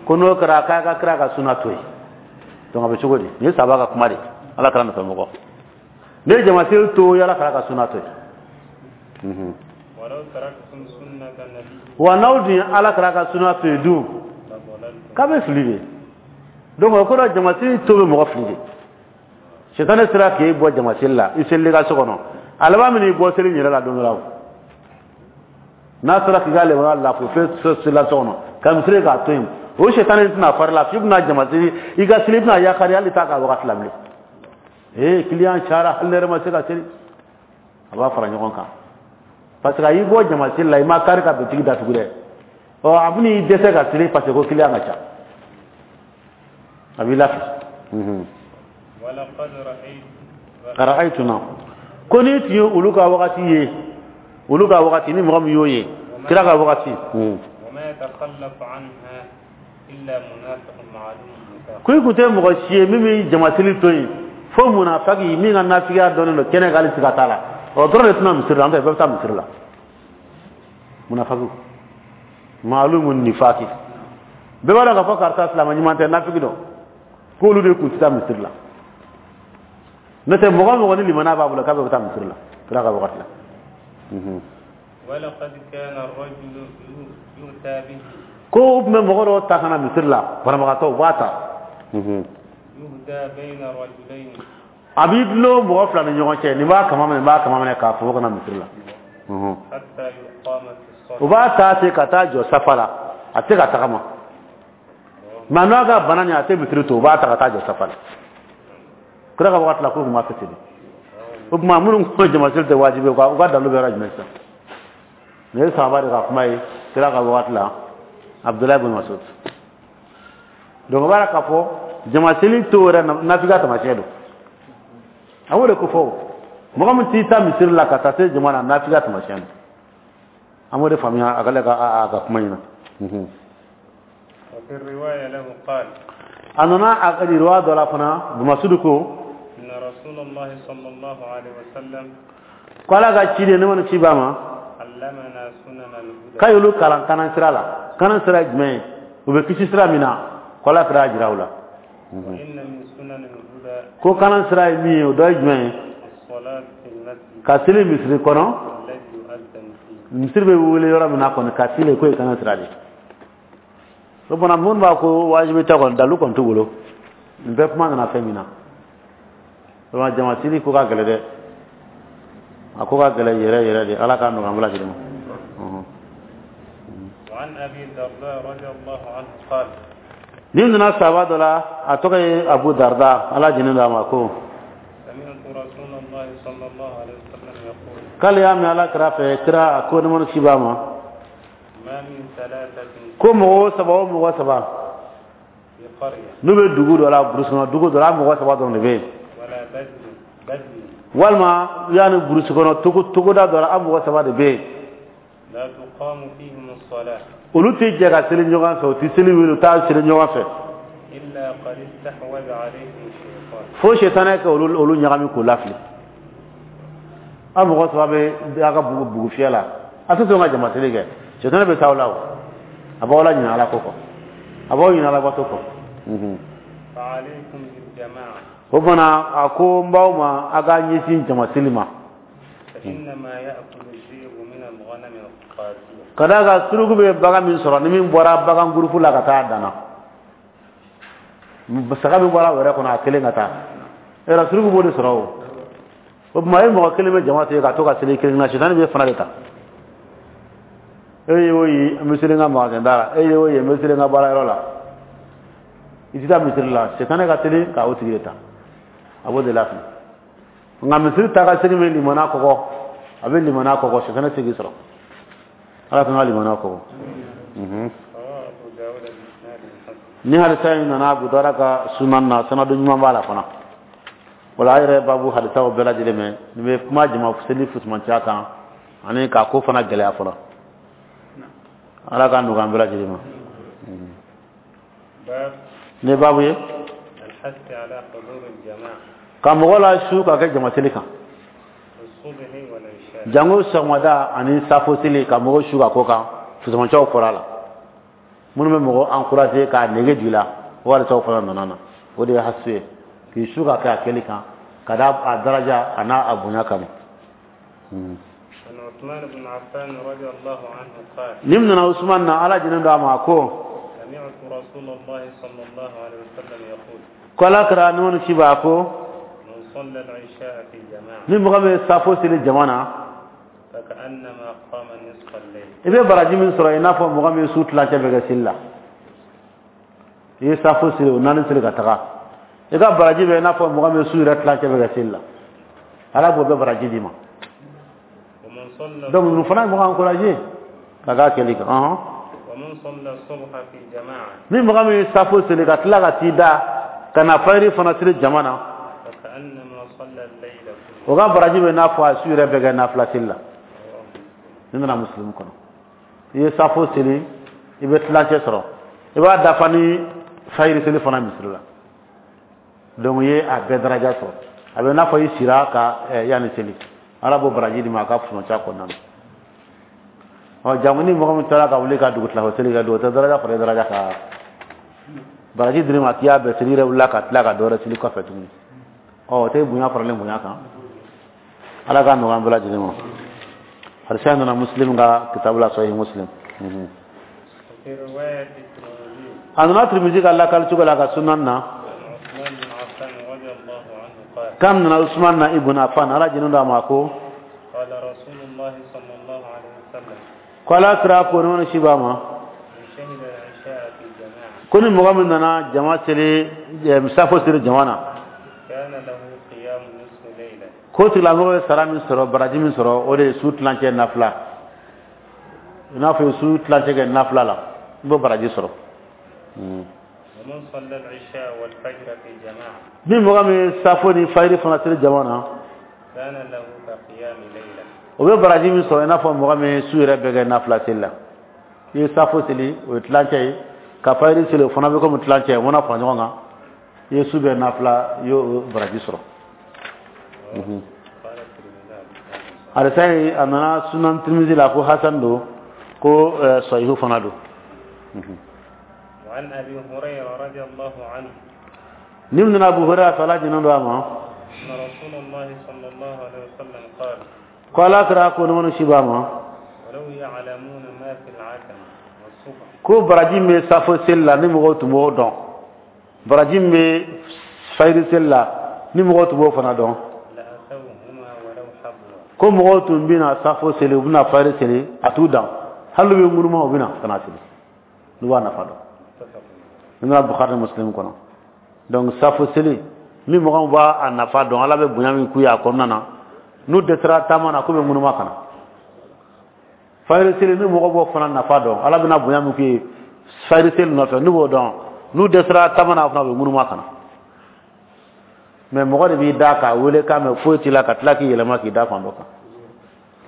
ko n'o kɛra k'a ka kira ka suna to yen. Donc a bɛ cogo di? Nin ye saba ka kuma de, Ala kɛra nɔfɛ mɔgɔ. Ne ye jamaseli to, Ala kɛra ka suna to yen. Wa n'aw dun ye Ala kɛra ka suna to yen dun, k'a bɛ fili de. Donc o kɔrɔ, jamaseli to bɛ mɔgɔ fili de. Sɛtanɛ sera k'e bɔ jamaseli la, i selili ka so kɔnɔ, a laban min i bɔ seli yɛrɛ la don dɔ la, o n'a sera k'i ka lemuru lafu fɛn selila so kɔnɔ ka misiri k'a to yen, o sɛtanɛ tɛna fari la f'i bɛna jamaseli i ka seli, i bɛna yakari hali t'a ka wagati la bilen. Ee, kiliyan cayara, hali ne yɛrɛ ma se ka seli. A b'a fara ɲɔgɔn kan parce que a y'i bɔ jamaseli la, i ma kari ka bitigi datugu dɛ. Ɔ a bɛn'i dɛsɛ ka seli parce que ko kiliyan ka ca, a b'i lafili. Ra'aytuna, ko n'i tun ye olu ka wagati ye, olu ka wagati, ni mɔgɔ min y'o ye kira ka wagati, ko i tun tɛ mɔgɔ si ye min bɛ jamaseli to yen fo munafaki min ka nafigiya dɔnnen don kɛnɛ kan, hali siga t'a la, o dɔrɔn de tɛna misiri la, an tɛ bɛɛ bɛ taa misiri la. Munafaki maalumu nifaki, bɛɛ b'a dɔn k'a fɔ karisa silamɛ ɲuman tɛ, nafigi dɔn, k'olu de tun tɛ taa misiri la. N'o tɛ mɔgɔ mɔgɔ ni limaniya b'a bolo k'a bɛ taa misiri la kira ka wagati la. Ko u tun bɛ mɔgɔ dɔw ta ka na misiri la, banabagatɔ u b'a ta, a b'i dulon mɔgɔ fila ni ɲɔgɔn cɛ, nin b'a kama minɛ, nin b'a kama minɛ k'a fɔ ka na misiri la. U b'a ta ten ka taa jɔ safa la, a tɛ ka tagama, mɛ n'a ka bana nin a tɛ misiri to, u b'a ta ka taa jɔ safa la. Kira ka wagati la k'u tun b'a kɛ ten de. O tuma minnu ko jamaseli tɛ wajibi ye, u ka dalu bɛ yɔrɔ jumɛn sisan? Nin ye sahaba de ka kuma ye kira ka wagati la, Abudulayi bin Masud. Donc o b'a la k'a fɔ jamaseli to yɛrɛ nafigiya taamasiyɛn don. A b'o de ko fɔ o. Mɔgɔ min t'i ta misiri la ka taa se jama na, nafigiya taamasiyɛn don. An b'o de faamuya a ka a ka kuma in na. A nana a ka riwaya dɔ la fana, Masud ko ko Ala ka ciden ne ma ni ci b'a ma, k'a y'olu kalan kanan sira la. Kanan sira ye jumɛn ye? U bɛ kisi sira min na, ko Ala kɛra jira u la. Ko kanan sira ye min ye, o dɔ ye jumɛn ye? Ka seli misiri kɔnɔ, misiri bɛ wele yɔrɔ min na kɔni, ka seli k'o ye kanan sira de ye. O fana minnu b'a ko wajibi tɛ kɔni, dalu kɔni t'u bolo. Nin bɛɛ kuma nana fɛn min na. Vraiment jamasili ko ka gɛlɛn dɛ, a ko ka gɛlɛn yɛrɛ yɛrɛ de, Ala k'a nɔgɔya an bɛɛ lajɛlen ma. Ni nana sahaba dɔ la, a tɔgɔ ye Abu Darda, Ala jɛnnen don a ma, ko K'ale y'a mɛn Ala kira fɛ, kira a ko nɛɛma ni kisi b'a ma. ما من ثلاثة Ko mɔgɔ saba o mɔgɔ saba في قرية n'u bɛ dugu dɔ la, burusi kɔnɔ dugu dɔ la, mɔgɔ saba dɔrɔn de bɛ yen. ولا بدو بدو Walima yanni burusi kɔnɔ togo togoda dɔ la, an mɔgɔ saba de bɛ yen. لا تقام فيهم الصلاة Olu tɛ jɛ ka seli ɲɔgɔn fɛ, u tɛ seli wele, u t'a seli ɲɔgɔn fɛ. إلا قد استحوذ عليهم الشيطان. Fo sɛtanɛ ka olu olu ɲagami k'u lafili. An mɔgɔ saba bɛ a ka bugu bugu fiyɛ la, a tɛ sɔn ka jama seli kɛ, sɛtanɛ bɛ taa aw la. O a b'aw la ɲinɛ Ala ko kɔ, a b'aw ɲinɛ Ala bato kɔ. فعليكم بالجماعة. O fana a ko n b'aw ma, a ka ɲɛsin jama seli ma. فإنما يأكل الذئب من الغنم القاسية. Ka d'a kan suruku bɛ bagan min sɔrɔ, ni min bɔra bagan gurupu la ka taa a danna, saga min bɔra wɛrɛ kɔnɔ a kelen ka taa yɔrɔ, suruku b'o de sɔrɔ. O o tuma e mɔgɔ kelen bɛ jama tigɛ ka to ka seli kelen na, sitani bɛ fana de ta. E ye o ye, n bɛ seli n ka magasin da la, e ye o ye, n bɛ seli n ka baarayɔrɔ la, i tɛ taa misiri la, sitani ka teli ka o tigi de ta, a b'o de lafili. Nka misiri ta ka segin bɛ limana kɔgɔ, a bɛ limana kɔgɔ, sitani tɛ k'i sɔrɔ. Ala kan ka limana kɔgɔ. رواه أبو داود بإسناد حسن. Ni hadisa in nana Abu Dawuda ka sunan na, sanadu ɲuman b'a la fana. Wala a yɛrɛ babu hadisaw bɛɛ lajɛlen mɛn, nin bɛ kuma jama seli fusumanciya kan ani k'a ko fana gɛlɛya fɔlɔ. Ala k'a nɔgɔya an bɛɛ lajɛlen ma. باب Ni babu ye الحث على حضور الجماعة ka mɔgɔ la su ka kɛ jama seli kan في الصبح والعشاء. Jango sɔgɔmada ani safo seli, ka mɔgɔ su ka ko kan, fusumanciyaw fɔra a la. Minnu bɛ mɔgɔ encourager k'a nege jigin la, o hadisaw fana nana na. O de ye hasu ye, k'i su ka kɛ a kɛli kan ka da a daraja a n'a a bonya kama. عن عثمان بن عفان رضي الله عنه قال: Ni min nana Usman na, Ala jinen don a ma, ko: سمعت رسول الله صلى الله عليه وسلم يقول: Ko Ala kɛra nɛɛma ni kisi b'a ko: من صلى العشاء في جماعة Ni mɔgɔ min ye safo seli jama na, فكأنما قام نصف الليل. I bɛ baraji min sɔrɔ, i n'a fɔ mɔgɔ min ye su tilancɛ bɛ kɛ seli la. I ye safo seli, o naani seli ka taga, i ka baraji bɛ i n'a fɔ mɔgɔ min ye su yɛrɛ tilancɛ bɛ kɛ seli la. Ala b'o bɛɛ baraji d'i ma. ومن صلى Donc ninnu fana ye mɔgɔ encouragé ka k'a kɛli kan ɔhɔn. ومن صلى الصبح في جماعة Ni mɔgɔ min ye safo seli ka tila ka t'i da ka na fajiri fana seli jama na, فكأنما صلى الليل كله. O ka baraji bɛ n'a fɔ a su yɛrɛ bɛɛ kɛ nafila seli la. Ni nana Muslim kɔnɔ, i ye safo seli, i bɛ tilancɛ sɔrɔ, i b'a dafa ni fajiri seli fana misiri la. Donc i ye a bɛɛ daraja sɔrɔ, a bɛ n'a fɔ i sira ka yanni seli. Ala b'o baraji di ma a ka funɔca kɔnɔna na. Ɔ, jango ni mɔgɔ min taara ka wuli ka dugutila seli kɛ, dugu tɛ daraja fara daraja kan. Baraji dir'i ma k'i y'a bɛɛ seli, i yɛrɛ wulila ka tila ka dɔ wɛrɛ seli kɔfɛ tuguni. Ɔ, o tɛ bonya faralen bonya kan. Ala k'a nɔgɔya an bɛɛ lajɛlen ma. Hadisa nana Muslim ka kitabu la, Sahih Muslim. وفي رواية الترمذي A nana Tirmidhi ka lakali cogo la a ka sunan na. عن عثمان بن عفان رضي الله عنه قال: Kam nana Usman na ibn Affan, Ala jinin da ma, ko: قال رسول الله صلى الله عليه وسلم: Ko Ala kira ko ni wani shi ba ma: من شهد العشاء في جماعة Ko ni mɔgɔ min nana jama seli, safo seli jama na, كان له قيام نصف ليلة. Ko tigilamɔgɔ ye sara min sɔrɔ, baraji min sɔrɔ, o de ye su tilancɛ nafila. I n'a fɔ i ye su tilancɛ kɛ nafila la, i b'o baraji sɔrɔ. ومن صلى العشاء والفجر في جماعة Ni mɔgɔ min ye safo ni fajiri fana seli jama na, كان له كقيام ليلة. O bɛ baraji min sɔrɔ, i n'a fɔ mɔgɔ min ye su yɛrɛ bɛɛ kɛ nafila seli la. I ye safo seli, o ye tilancɛ ye, ka fajiri seli, o fana bɛ komi tilancɛ ye. O mana fara ɲɔgɔn kan, i ye su bɛɛ nafila, i y'o baraji sɔrɔ. قال الترمذي: Hadisa in a nana Sunan Tirmidhi la ko hasan don, ko sahihu fana don. وعن أبي هريرة رضي الله عنه Ni min nana Abu Hurairah fɛ, Ala jɛnnen don a ma, أن رسول الله صلى الله عليه وسلم قال: ko Ala kira ko ni si b'a ma: ولو يعلمون ما في العتمة والصبح Ko baraji min bɛ safo seli la, ni mɔgɔw tun b'o dɔn, baraji min bɛ fajiri seli la, ni mɔgɔw tun b'o fana dɔn, لأتوهما ولو حبوا. Ko mɔgɔw tun bɛna safo seli, u bɛna fajiri seli, a t'u dan, hali n'u bɛ ŋunuma, u bɛna ka na seli n'u b'a nafa dɔn. متفق. Ni nana Bukhari ni Muslim kɔnɔ. Donc safo seli, ni mɔgɔ min b'a a nafa dɔn, Ala bɛ bonya min k'u ye a kɔnɔna na. N'u dɛsɛra taama na, k'u bɛ ŋunuma ka na fajiri seli. Ni mɔgɔ b'o fana nafa dɔn, Ala bɛna bonya min k'u ye fajiri seli nɔfɛ, n'u b'o dɔn, n'u dɛsɛra taama na fana, u bɛ ŋunuma ka na. Mais mɔgɔ de b'i da k'a wele k'a mɛn, foyi t'i la, ka tila k'i yɛlɛma k'i da fan dɔ kan.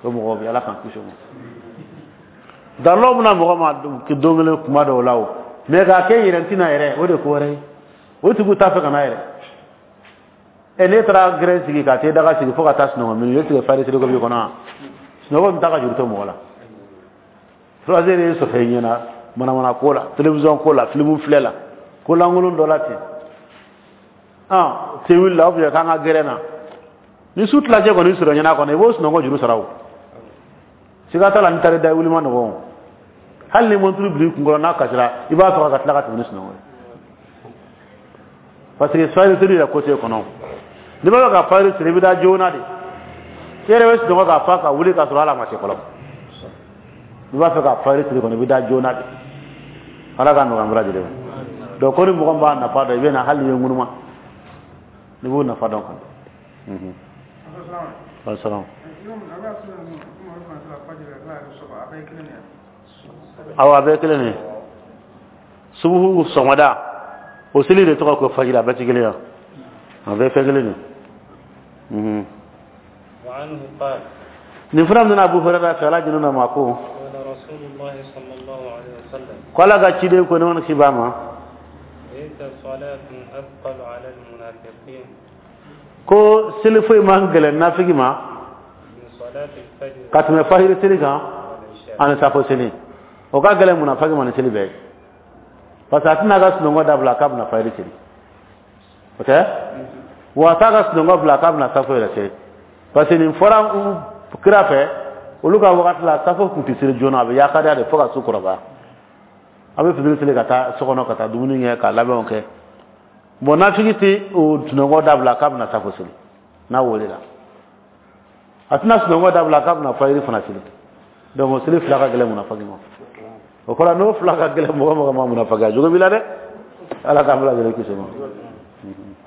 O mɔgɔ bɛ, Ala k'an kisi o ma. Dalɔ bɛna mɔgɔ ma don kelen kuma dɔw la o, mais k'a kɛ yɛrɛ tɛna yɛrɛ, o de ko wɛrɛ ye. O tigiw t'a fɛ ka na yɛrɛ. Ɛ, n'e taara gɛrɛn sigi ka t'e daga sigi fo ka taa sunɔgɔ minnu, e tigɛ fari siri ko b'i kɔnɔ wa? Sunɔgɔ min t'a ka juru to mɔgɔ la. Trois heures ye sɔfɛ ɲɛna, manamana ko la, télévision ko la, film filɛ la, ko lankolon dɔ la ten. Ah, te wuli la, ou bien k'an ka gɛrɛn na. Ni su tilacɛ kɔni sɔrɔ ɲɛna kɔnɔ, i b'o sunɔgɔ juru sara o. Siga t'a la, ni taara da wuli ma nɔgɔn o. Hali ni monturu bil'i kunkɔrɔ, n'a kasira, i b'a sɔrɔ ka tila ka tɛmɛ ni sunɔgɔ ye, parce que fajiri seli yɛrɛ ko t'e kɔnɔ. N'i b'a fɛ ka fajiri seli, i bɛ taa joona de. I yɛrɛ bɛ sunɔgɔ ka fa ka wuli ka sɔrɔ hali a ma se fɔlɔ. N'i b'a fɛ ka fajiri seli kɔni, i bɛ taa joona de. Ala ka nɔgɔya an bɛɛ lajɛlen ma. Donc ko ni mɔgɔ min b'a nafa dɔn, i bɛ na, hali n'i ye ŋunuma, n'i b'o nafa dɔn kɔni. Wasalaam. Awɔ, a bɛɛ kelen de ye. Subuhu sɔgɔmada o seli de tɔgɔ ko fajiri. A bɛɛ ti kelen ye, a bɛɛ fɛn kelen de ye. وعنه قال Nin fana nana Abu Hurairah fɛ, Ala jɛnna ma, ko قال رسول الله صلى الله عليه وسلم ko Ala ka ciden ko, ne kisi b'a ma, ليس صلاة أثقل على المنافقين ko seli foyi man gɛlɛn nafigi ma من صلاة الفجر ka tɛmɛ fajiri seli kan والعشاء ani safo seli. O ka gɛlɛn munafigi ma ni seli bɛɛ ye, parce que a tɛna ka sunɔgɔ dabila k'a bɛna fajiri seli, o tɛ wa, a t'a ka sunɔgɔ bila k'a bɛna safo yɛrɛ seli, parce que nin fɔra kira fɛ, olu ka wagati la, safo tun tɛ seli joona, a bɛ yakariya de fo ka su kɔrɔbaya. A bɛ fitiri seli ka taa so kɔnɔ ka taa dumuni kɛ ka labɛnw kɛ. Bon, nafigi tɛ o sunɔgɔ dabila k'a bɛna safo seli n'a welela. A tɛna sunɔgɔ dabila k'a bɛna fajiri fana seli. Donc o seli fila ka gɛlɛn munafigi ma. O kɔrɔ, n'o fila ka gɛlɛn mɔgɔ mɔgɔ ma, munafigi a jogo b'i la dɛ. Ala k'an bɛɛ lajɛlen kisi o ma.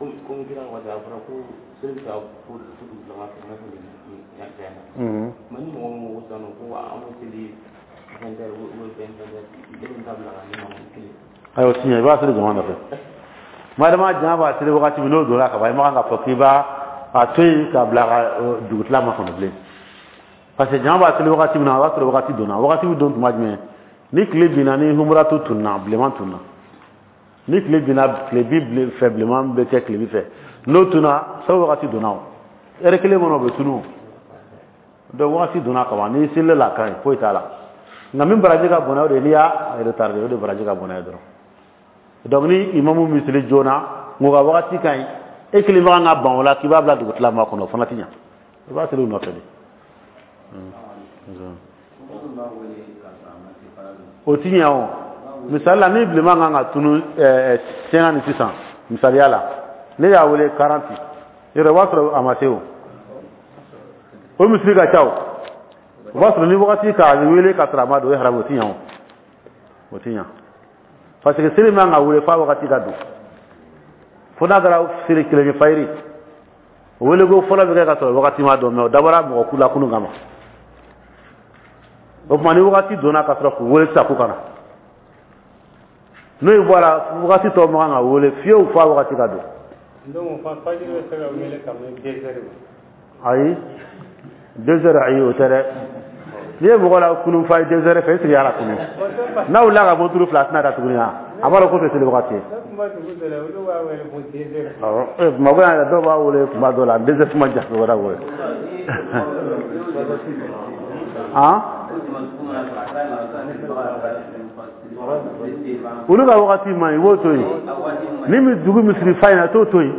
Komi kira waati a fɔra ko seli bɛ taa fo fo dugutigi fɛ, i n'a fɔ nin nin fɛn na. Mhm. Mais ni mɔgɔ min ko sisan nɔ ko an b'o seli vingt heures ou vingt heures, e bɛ taa bila ka ne ma kelen. Ayiwa, o ti ɲɛ, i b'a seli jama nɔfɛ. Madama jama b'a seli wagati min, n'o donna ka ban, i man kan k'a fɔ k'i b'a a to yen k'a bila ka dugutila ma kɔnɔ bilen, parce que jama b'a seli wagati min na, o b'a sɔrɔ wagati donna. Wagati bɛ don tuma jumɛn? Ni tile binna, ni humuratu tunna, bilenman tunna. Ni tile binna tile bi fɛ, bilenman bɛ kɛ tile bi fɛ, n'o tunna, sabu wagati donna, o ɛri kelen kɔnɔ o bɛ tunu. Donc wagati donna ka ban, n'i selila la, a ka ɲi, foyi t'a la. Nka min baraji ka bon, o de ye n'i y'a retardé, o de baraji ka bon n'a ye dɔrɔn. Donc ni imamu min seli joona, nka o ka wagati ka ɲi, e kelen bɛ kan ka ban o la k'i b'a bila dugutila ma kɔnɔ, o fana ti ɲa. I b'a seli u nɔfɛ de. O ti ɲa o. Misali la, ni bilenman kan ka tunu ɛɛ cinquante sisan, misaliya la, ne y'a wele quarante yɔrɔ, o b'a sɔrɔ a ma se. O o misiri ka ca, o o b'a sɔrɔ ni wagati k'a wele ka sɔrɔ a ma don, o ye haramu. O ti ɲa o, o ti ɲa, parce que seli man ka wele f'a wagati ka don, fo n'a kɛra seli kelen ye, fayiri. O wele ko fɔlɔ bɛ kɛ ka sɔrɔ wagati ma dɔn, mais o dabɔra mɔgɔ ku la kunun kama. O tuma, ni wagati donna ka sɔrɔ k'u wele sisan k'u ka na, n'o bɔra, wagati tɔ man kan ka wele fiyewu f'a wagati ka don. Donc fajiri bɛ se ka wele ka mɛn deux heures? Ayi, deux heures, ayi, o tɛ dɛ. N'i ye mɔgɔ la kunun fa ye deux heures fɛ, e sigi ala kunun, n'a wulila ka bɔ turu fila, a tɛna da tuguni. A a b'a dɔn ko tɛ seli wagati ye. Awɔ, ee, Bamakɔ yan yɛrɛ, dɔw b'a wele kuma dɔw la deux heures ma jan wɛrɛ wele. Han, olu ka wagati man ɲi, i b'o to yen. Ni mi dugu misiri fa in na, t'o to yen.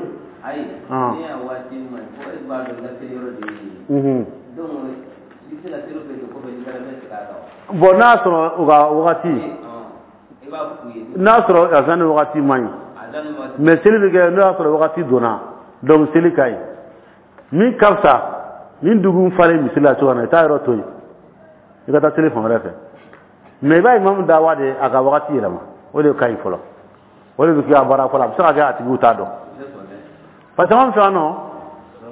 Ayi, Ah. ne y'a waati ma fo e b'a dɔn i ka seli yɔrɔ de ye Unhun. Donc i bɛ se ka seli bɛɛ kɛ kɔfɛ, n'i taara bɛ segin a kan. Bon, n'a y'a sɔrɔ u ka wagati I b'a f'u ye. N'a y'a sɔrɔ azan ni wagati man ɲi, a daminɛ waati mais seli bɛ kɛ, n'o y'a sɔrɔ wagati donna, donc seli ka ɲi. Min ka fisa ni dugu falen misiri la cogo min na, i t'a yɔrɔ to yen, i ka taa seli fan wɛrɛ fɛ. Mais i b'a imamu da wa de a ka wagati yɛlɛma, o de ka ɲi fɔlɔ, o de bɛ kɛ a baara fɔlɔ. A bɛ se ka kɛ a tigiw t'a dɔn, parce que anw fɛ yan nɔ.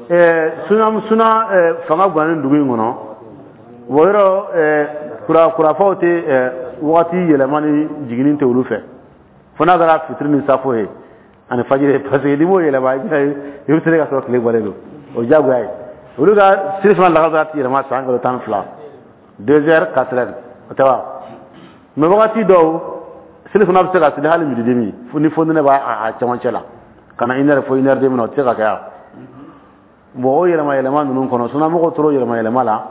Ɛɛ suna suna fanga ganni dugu in kɔnɔ, o yɔrɔ kura kurafaw tɛ wagati yɛlɛma ni jiginni tɛ olu fɛ, fo n'a kɛra fitiri ni safo ye ani fajiri, parce que n'i m'o yɛlɛma, i bɛ se ka sɔrɔ tile bɔlen don, o diyagoya ye. Olu ka seli fana lagansara ti yɛlɛma san kalo tan ni fila, deux heures, quatre heures, o tɛ wa? Mais wagati dɔw seli fana bɛ se ka seli hali midi demi, ni fonɛnɛ b'a a cɛmancɛ la ka na une heure fo une heure demi na, o tɛ se ka kɛ yan. Bon, o yɛlɛma yɛlɛma ninnu kɔnɔ, sunamɔgɔw tora yɛlɛma yɛlɛma la.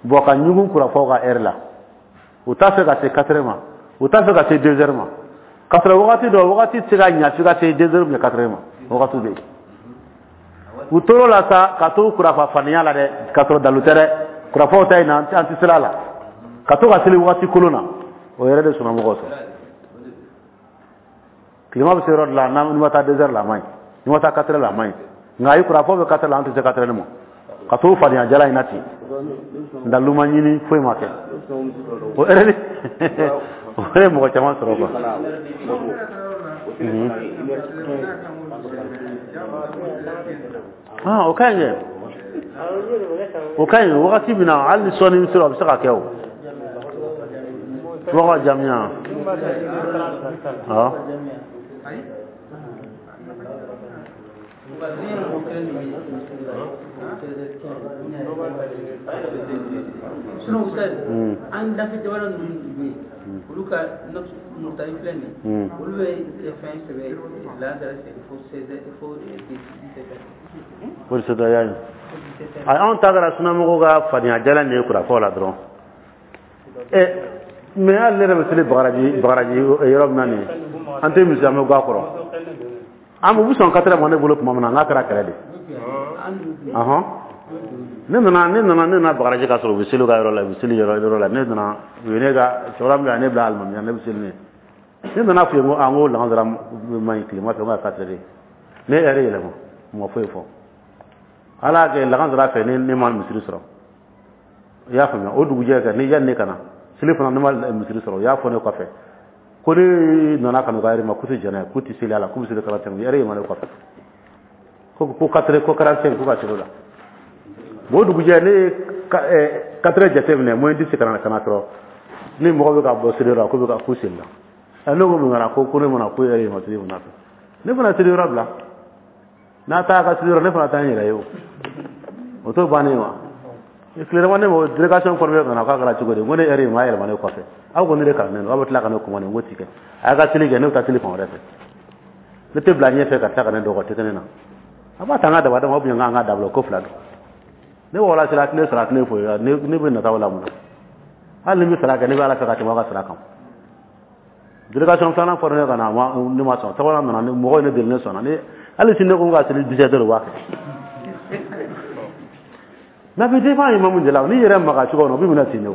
Bon, ka ɲugun kurafaw ka heure la, u t'a fɛ ka se quatre heures ma, u t'a fɛ ka se deux heures ma, ka sɔrɔ wagati dɔ wagati tɛ se ka ɲa f'i ka se deux heures ou bien quatre heures ma, wagati bɛ yen. U tor'o la sa, ka to kurafa faniya la dɛ, ka sɔrɔ dalu tɛ dɛ, kurafaw ta in na, an tɛ sira la, ka to ka seli wagati kolon na, o yɛrɛ de sunamɔgɔw sɔrɔ. Tilema bɛ se yɔrɔ dɔ la, n'i ma taa deux heures la, a man ɲi, n'i ma taa quatre heures la, a man ɲi. Nka ayi, kurafaw bɛ quatre heures la, an tɛ se quatre heures ma, ka to fadenya jala in na ten, dalu ma ɲini, foyi ma kɛ, o yɛrɛ o yɛrɛ mɔgɔ caman sɔrɔ quoi. Ah, o ka ɲi dɛ, o ka ɲi. Wagati min na hali ni sɔɔni sera, o bɛ se ka kɛ. O mɔgɔ jamiya awɔ. An dafɛ jamana ninnu bɛ yen, olu ka murutani filɛ nin ye, olu bɛ fɛn sɛbɛn lansara fo seize fo dix-sept heures. O de y'a ye. Ayi, anw ta kɛra sunamɔgɔw ka fadenya jalan de ye kurafaw la dɔrɔn. Ɛ mais hali ne yɛrɛ bɛ seli bagaraji bagaraji yɔrɔ min na nin ye, an tɛ misi, an bɛ ga kɔrɔ, an bɛ sɔn quatre heures ma ne bolo tuma min na, n k'a kɛra kɛlɛ de. Ɔhɔn, ne nana ne nana ne nana bagaraji ka sɔrɔ u bɛ seli u ka yɔrɔ la, u bɛ seli yɔrɔ yɔrɔ la. Ne nana, u ye ne ka cɛkɔrɔba min ne bila alimamiya, ne bɛ seli ne ne nana f'u ye ko an ko lagansara man ɲi tilema fɛ, n ko a quatre heures. Ne heure yɛlɛma, u ma foyi fɔ. Ala y'a kɛ lagansara fɛ, ne ne ma misiri sɔrɔ, i y'a faamuya? O dugujɛ kɛ ne yanni ne ka na seli fana, ne ma misiri sɔrɔ. U y'a fɔ ne kɔfɛ ko ne nana ka n'u ka heure ma, k'u tɛ jɛn n'a ye, k'u tɛ seli a la, k'u bɛ seli quarante-cinq, heure yɛlɛma ne kɔfɛ ko ko quatre ko quarante-cinq, k'u ka seli o la. Bon, o dugujɛ ne ye quatre heures jateminɛ, moins dix ka na ka na sɔrɔ ni mɔgɔ bɛ ka bɔ seli yɔrɔ la, k'u bɛ ka k'u seli la. Ne ko mun kɛra? Ko ko ne mana ko heure yɛlɛma seli fana fɛ, ne fana seli yɔrɔ bila n'a taa ka seli yɔrɔ, ne fana taa n yɛrɛ ye. O o t'o bannen wa? Tilema ne ma délégation formée ka na, k'a kɛra cogo di? N ko ne heure in ma yɛlɛma ne kɔfɛ, aw ko ne de kalannen don, aw bɛ tila ka ne commandé. N ko ti kɛ, a y'a ka seli kɛ, ne bɛ taa seli fan wɛrɛ fɛ, ne tɛ bila ɲɛfɛ ka tila ka ne dɔgɔ tɛ kɛ ne na. A b'a ta an ka daba dama, ou bien an ka dabila ko fila don. Ne wala sera, a tɛ ne sara, a tɛ ne foyi, ne bɛ nata o la mun na? Hali ni bɛ sara kɛ, ne bɛ Ala fɛ ka tɛmɛ aw ka sara kan. Délégation filanan fɔra ne ka na, ne ma sɔn. Sabanan nana, mɔgɔw ye ne deli, ne sɔnna. Ne hali sini ne ko n ka seli dix-sept heures, u b'a kɛ. Mais a bɛ dépend imamu de la, n'i yɛrɛ maga cogo min na, o bɛ minɛ ten de. O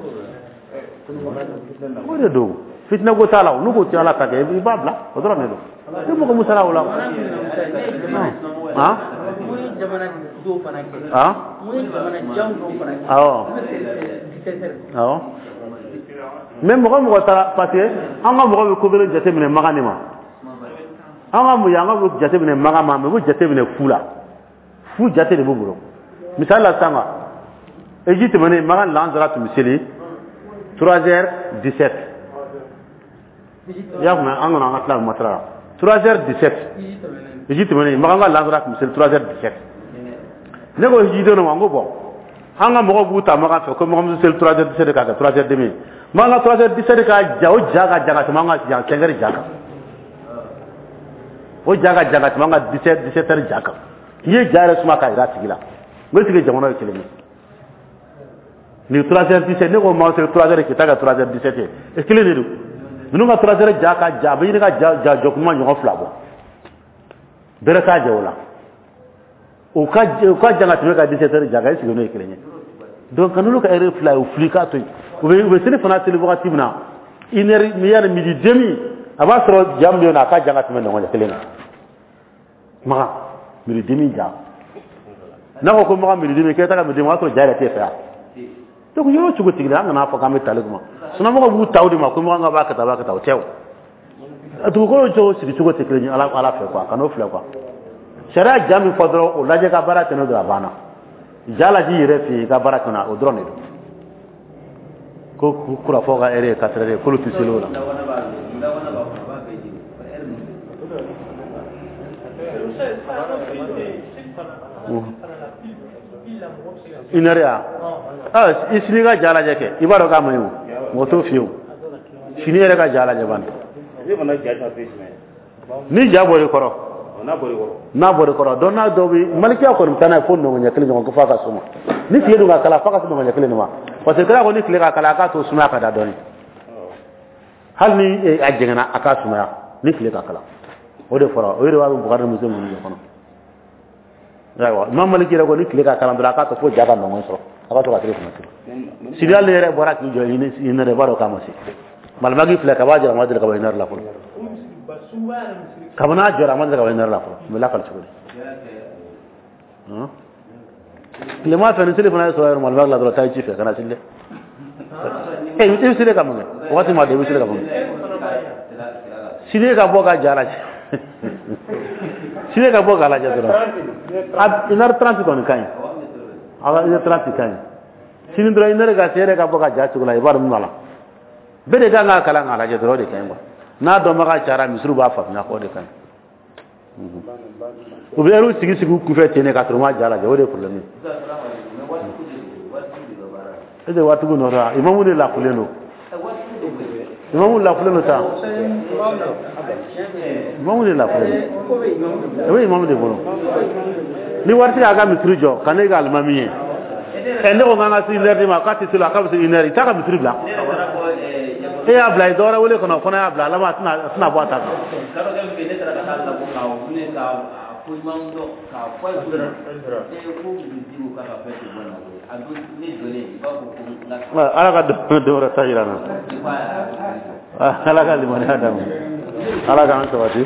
o de don, fitinɛ ko t'a la, n'u ko ti Ala ta kɛ, i b'a bila, o dɔrɔn de don. Ni mɔgɔ mun sara o la. Han han, awɔ awɔ. Mais mɔgɔ mɔgɔ taara, parce que an ka mɔgɔ bɛ ko kelen jateminɛ magan de ma, an ka mun ye, an ka jateminɛ magan ma, mais u bɛ jateminɛ fu la, fu jate de b'u bolo. Misali la sisan, eji tɛmɛnen, magan lansara tun bɛ seli trois heures dix-sept, i y'a faamuya? An kɔnɔ an ka tila matara la trois heures dix-sept, eji tɛmɛnen, magan ka lansara tun bɛ seli trois heures dix-sept. Ne ko hijidenw ma, n ko bon, an ka mɔgɔw b'u ta magan fɛ ko magan bɛ seli trois heures dix-sept k'a kɛ trois heures demi, magan ka trois heures dix-sept ka ja, o ja ka ja ka tɛmɛ an ka jan cinq heures ja kan, o ja ka ja ka tɛmɛ an ka dix-sept dix-sept heures ja kan. N'i ye ja yɛrɛ suma k'a jira a tigi la, n ko est-ce que jamana ye kelen ye? Nin trois heures dix-sept, ne ko maa seli trois heures k'i ta kɛ trois heures dix-sept ye, e kelen de don. Ninnu ka trois heures ja ka ja, a bɛ ɲini ka ja ja jɔ kuma ɲɔgɔn fila bɔ, bɛrɛ t'a jɛ o la. O ka o ka jan ka tɛmɛ ka dix-sept heures ja kan, est-ce que n'o ye kelen ye? Donc ka n'olu ka heure fila ye, o fili k'a to yen. U bɛ u bɛ seli fana seli wagati min na, une heure yanni midi demi, a b'a sɔrɔ ja min bɛ yen nɔ, a ka jan ka tɛmɛ ɲɔgɔn kelen kan. Magan midi demi ja, n'a ko ko magan midi demi, k'e ta ka midi demi, o y'a sɔrɔ ja yɛrɛ t'e fɛ yan. Donc yɔrɔ cogo tigi la, an kana fɔ k'an bɛ tali kuma sunamɔgɔw b'u ta o de ma ko magan b'a kɛ tan, a b'a kɛ tan, o tɛ. O dugukolo cogo sigi cogo tɛ kelen ye Ala Ala fɛ quoi, ka n'o filɛ quoi. Sariya ja min fɔ dɔrɔn, o lajɛ ka baara kɛ n'o dɔrɔn, a banna. Ja lajɛ i yɛrɛ fɛ yen, i ka baara kɛ n'a o dɔrɔn de don. Ko kurafɔ ka heure ye quatre heures ye, k'olu tɛ seli o la. Mudawwana b'a mudawwana b'a kɔnɔ, a b'a bɛɛ jiri heure ninnu. Seli fana fana la, pile la, mɔgɔ bɛ se ka Une heure ya, ah, i sini ka ja lajɛ kɛ, i b'a dɔn k'a man ɲi o, mɔgɔ t'o f'i ye o. Sini yɛrɛ ka ja lajɛ bani. Ne fana ja ta fɛ jumɛn? Ni ja bɔr'i kɔrɔ. N'a bɔr'i kɔrɔ. N'a bɔr'i kɔrɔ donc, n'a dɔw bɛ malikiya kɔni bɛ taa n'a ye fo nɔgɔn ɲɛ kelen ɲɔgɔn ko f'a ka suma. Ni tile dun ka kala, f'a ka se nɔgɔn ɲɛ kelen de ma, parce que kira ko ni tile ka kala, a k'a to sumaya ka da dɔɔni. Hali ni a jɛngɛnna, a k'a sumaya ni tile ka kala. O de fɔra, o de b'a bɛ Bukari ni Muslim ninnu de kɔnɔ. Ayiwa, Imam Maliki yɛrɛ ko ni tile ka kalan dɔrɔn, a k'a to fo ja ka nɔgɔn sɔrɔ, a ka to ka tile fana sigi. Sini hali yɛrɛ bɔra k'i jɔ une heure, i b'a dɔn k'a ma se. Malimaki filɛ, kaba jɔra, a ma deli ka bɔ une heure la fɔlɔ. Kabini a jɔra, a ma deli ka bɔ une heure la fɔlɔ. N bɛ lakali cogo di? Tilema fɛ, ni seli fana ye sɔrɔ yɛrɛ malimaki la dɔrɔn, taa i ci fɛ ka na seli dɛ. E i bɛ seli ka mun kɛ? Waati ma dɔn, i bɛ seli ka mun kɛ? Sini ka bɔ ka ja lajɛ, sini ka bɔ k'a lajɛ dɔrɔn, une heure trente kɔni ka ɲi. A ka une heure trente ka ɲi sini dɔrɔn. Une heure ka se, e yɛrɛ ka bɔ ka ja cogo la, i b'a dɔn min b'a la. Bɛɛ de kan k'a kalan k'a lajɛ dɔrɔn, o de ka ɲi quoi. N'a dɔnbaga cayara, misiriw b'a faamuya o de ka ɲi. U bɛ heure sigi sigi u kunfɛ ten de ka sɔrɔ u ma ja lajɛ, o de ye problème ye. E de waatigiw nɔ la, imamu de lafulen don, imamu lafulen don sa, imamu de lafulen don, o bɛ imamu de bolo. Ni waritigi y'a ka misiri jɔ ka ne ka alimami ye, ɛ, ne ko k'an ka se une heure de ma, k'a tɛ se la, k'a bɛ se une heure, i t'a ka misiri bila. E y'a bila, i dɔ wɛrɛ wele kɔnɔ, o fana y'a bila, a laban a tɛna a tɛna bɔ a ta kan. Kadɔkɛ min bɛ yen, ne taara ka taa labɔ k'a wuli k'a fɔ imamu dɔ k'a fɔ a ye ko ee, ko dugutigi ko k'a ka fɛn tɛ bɔ nin na koyi. A don ne jɔlen, i b'a fɔ ko n ka Ala ka don wɛrɛ ta yira n na. Ala ka limaniya d'a ma, Ala k'an sabati.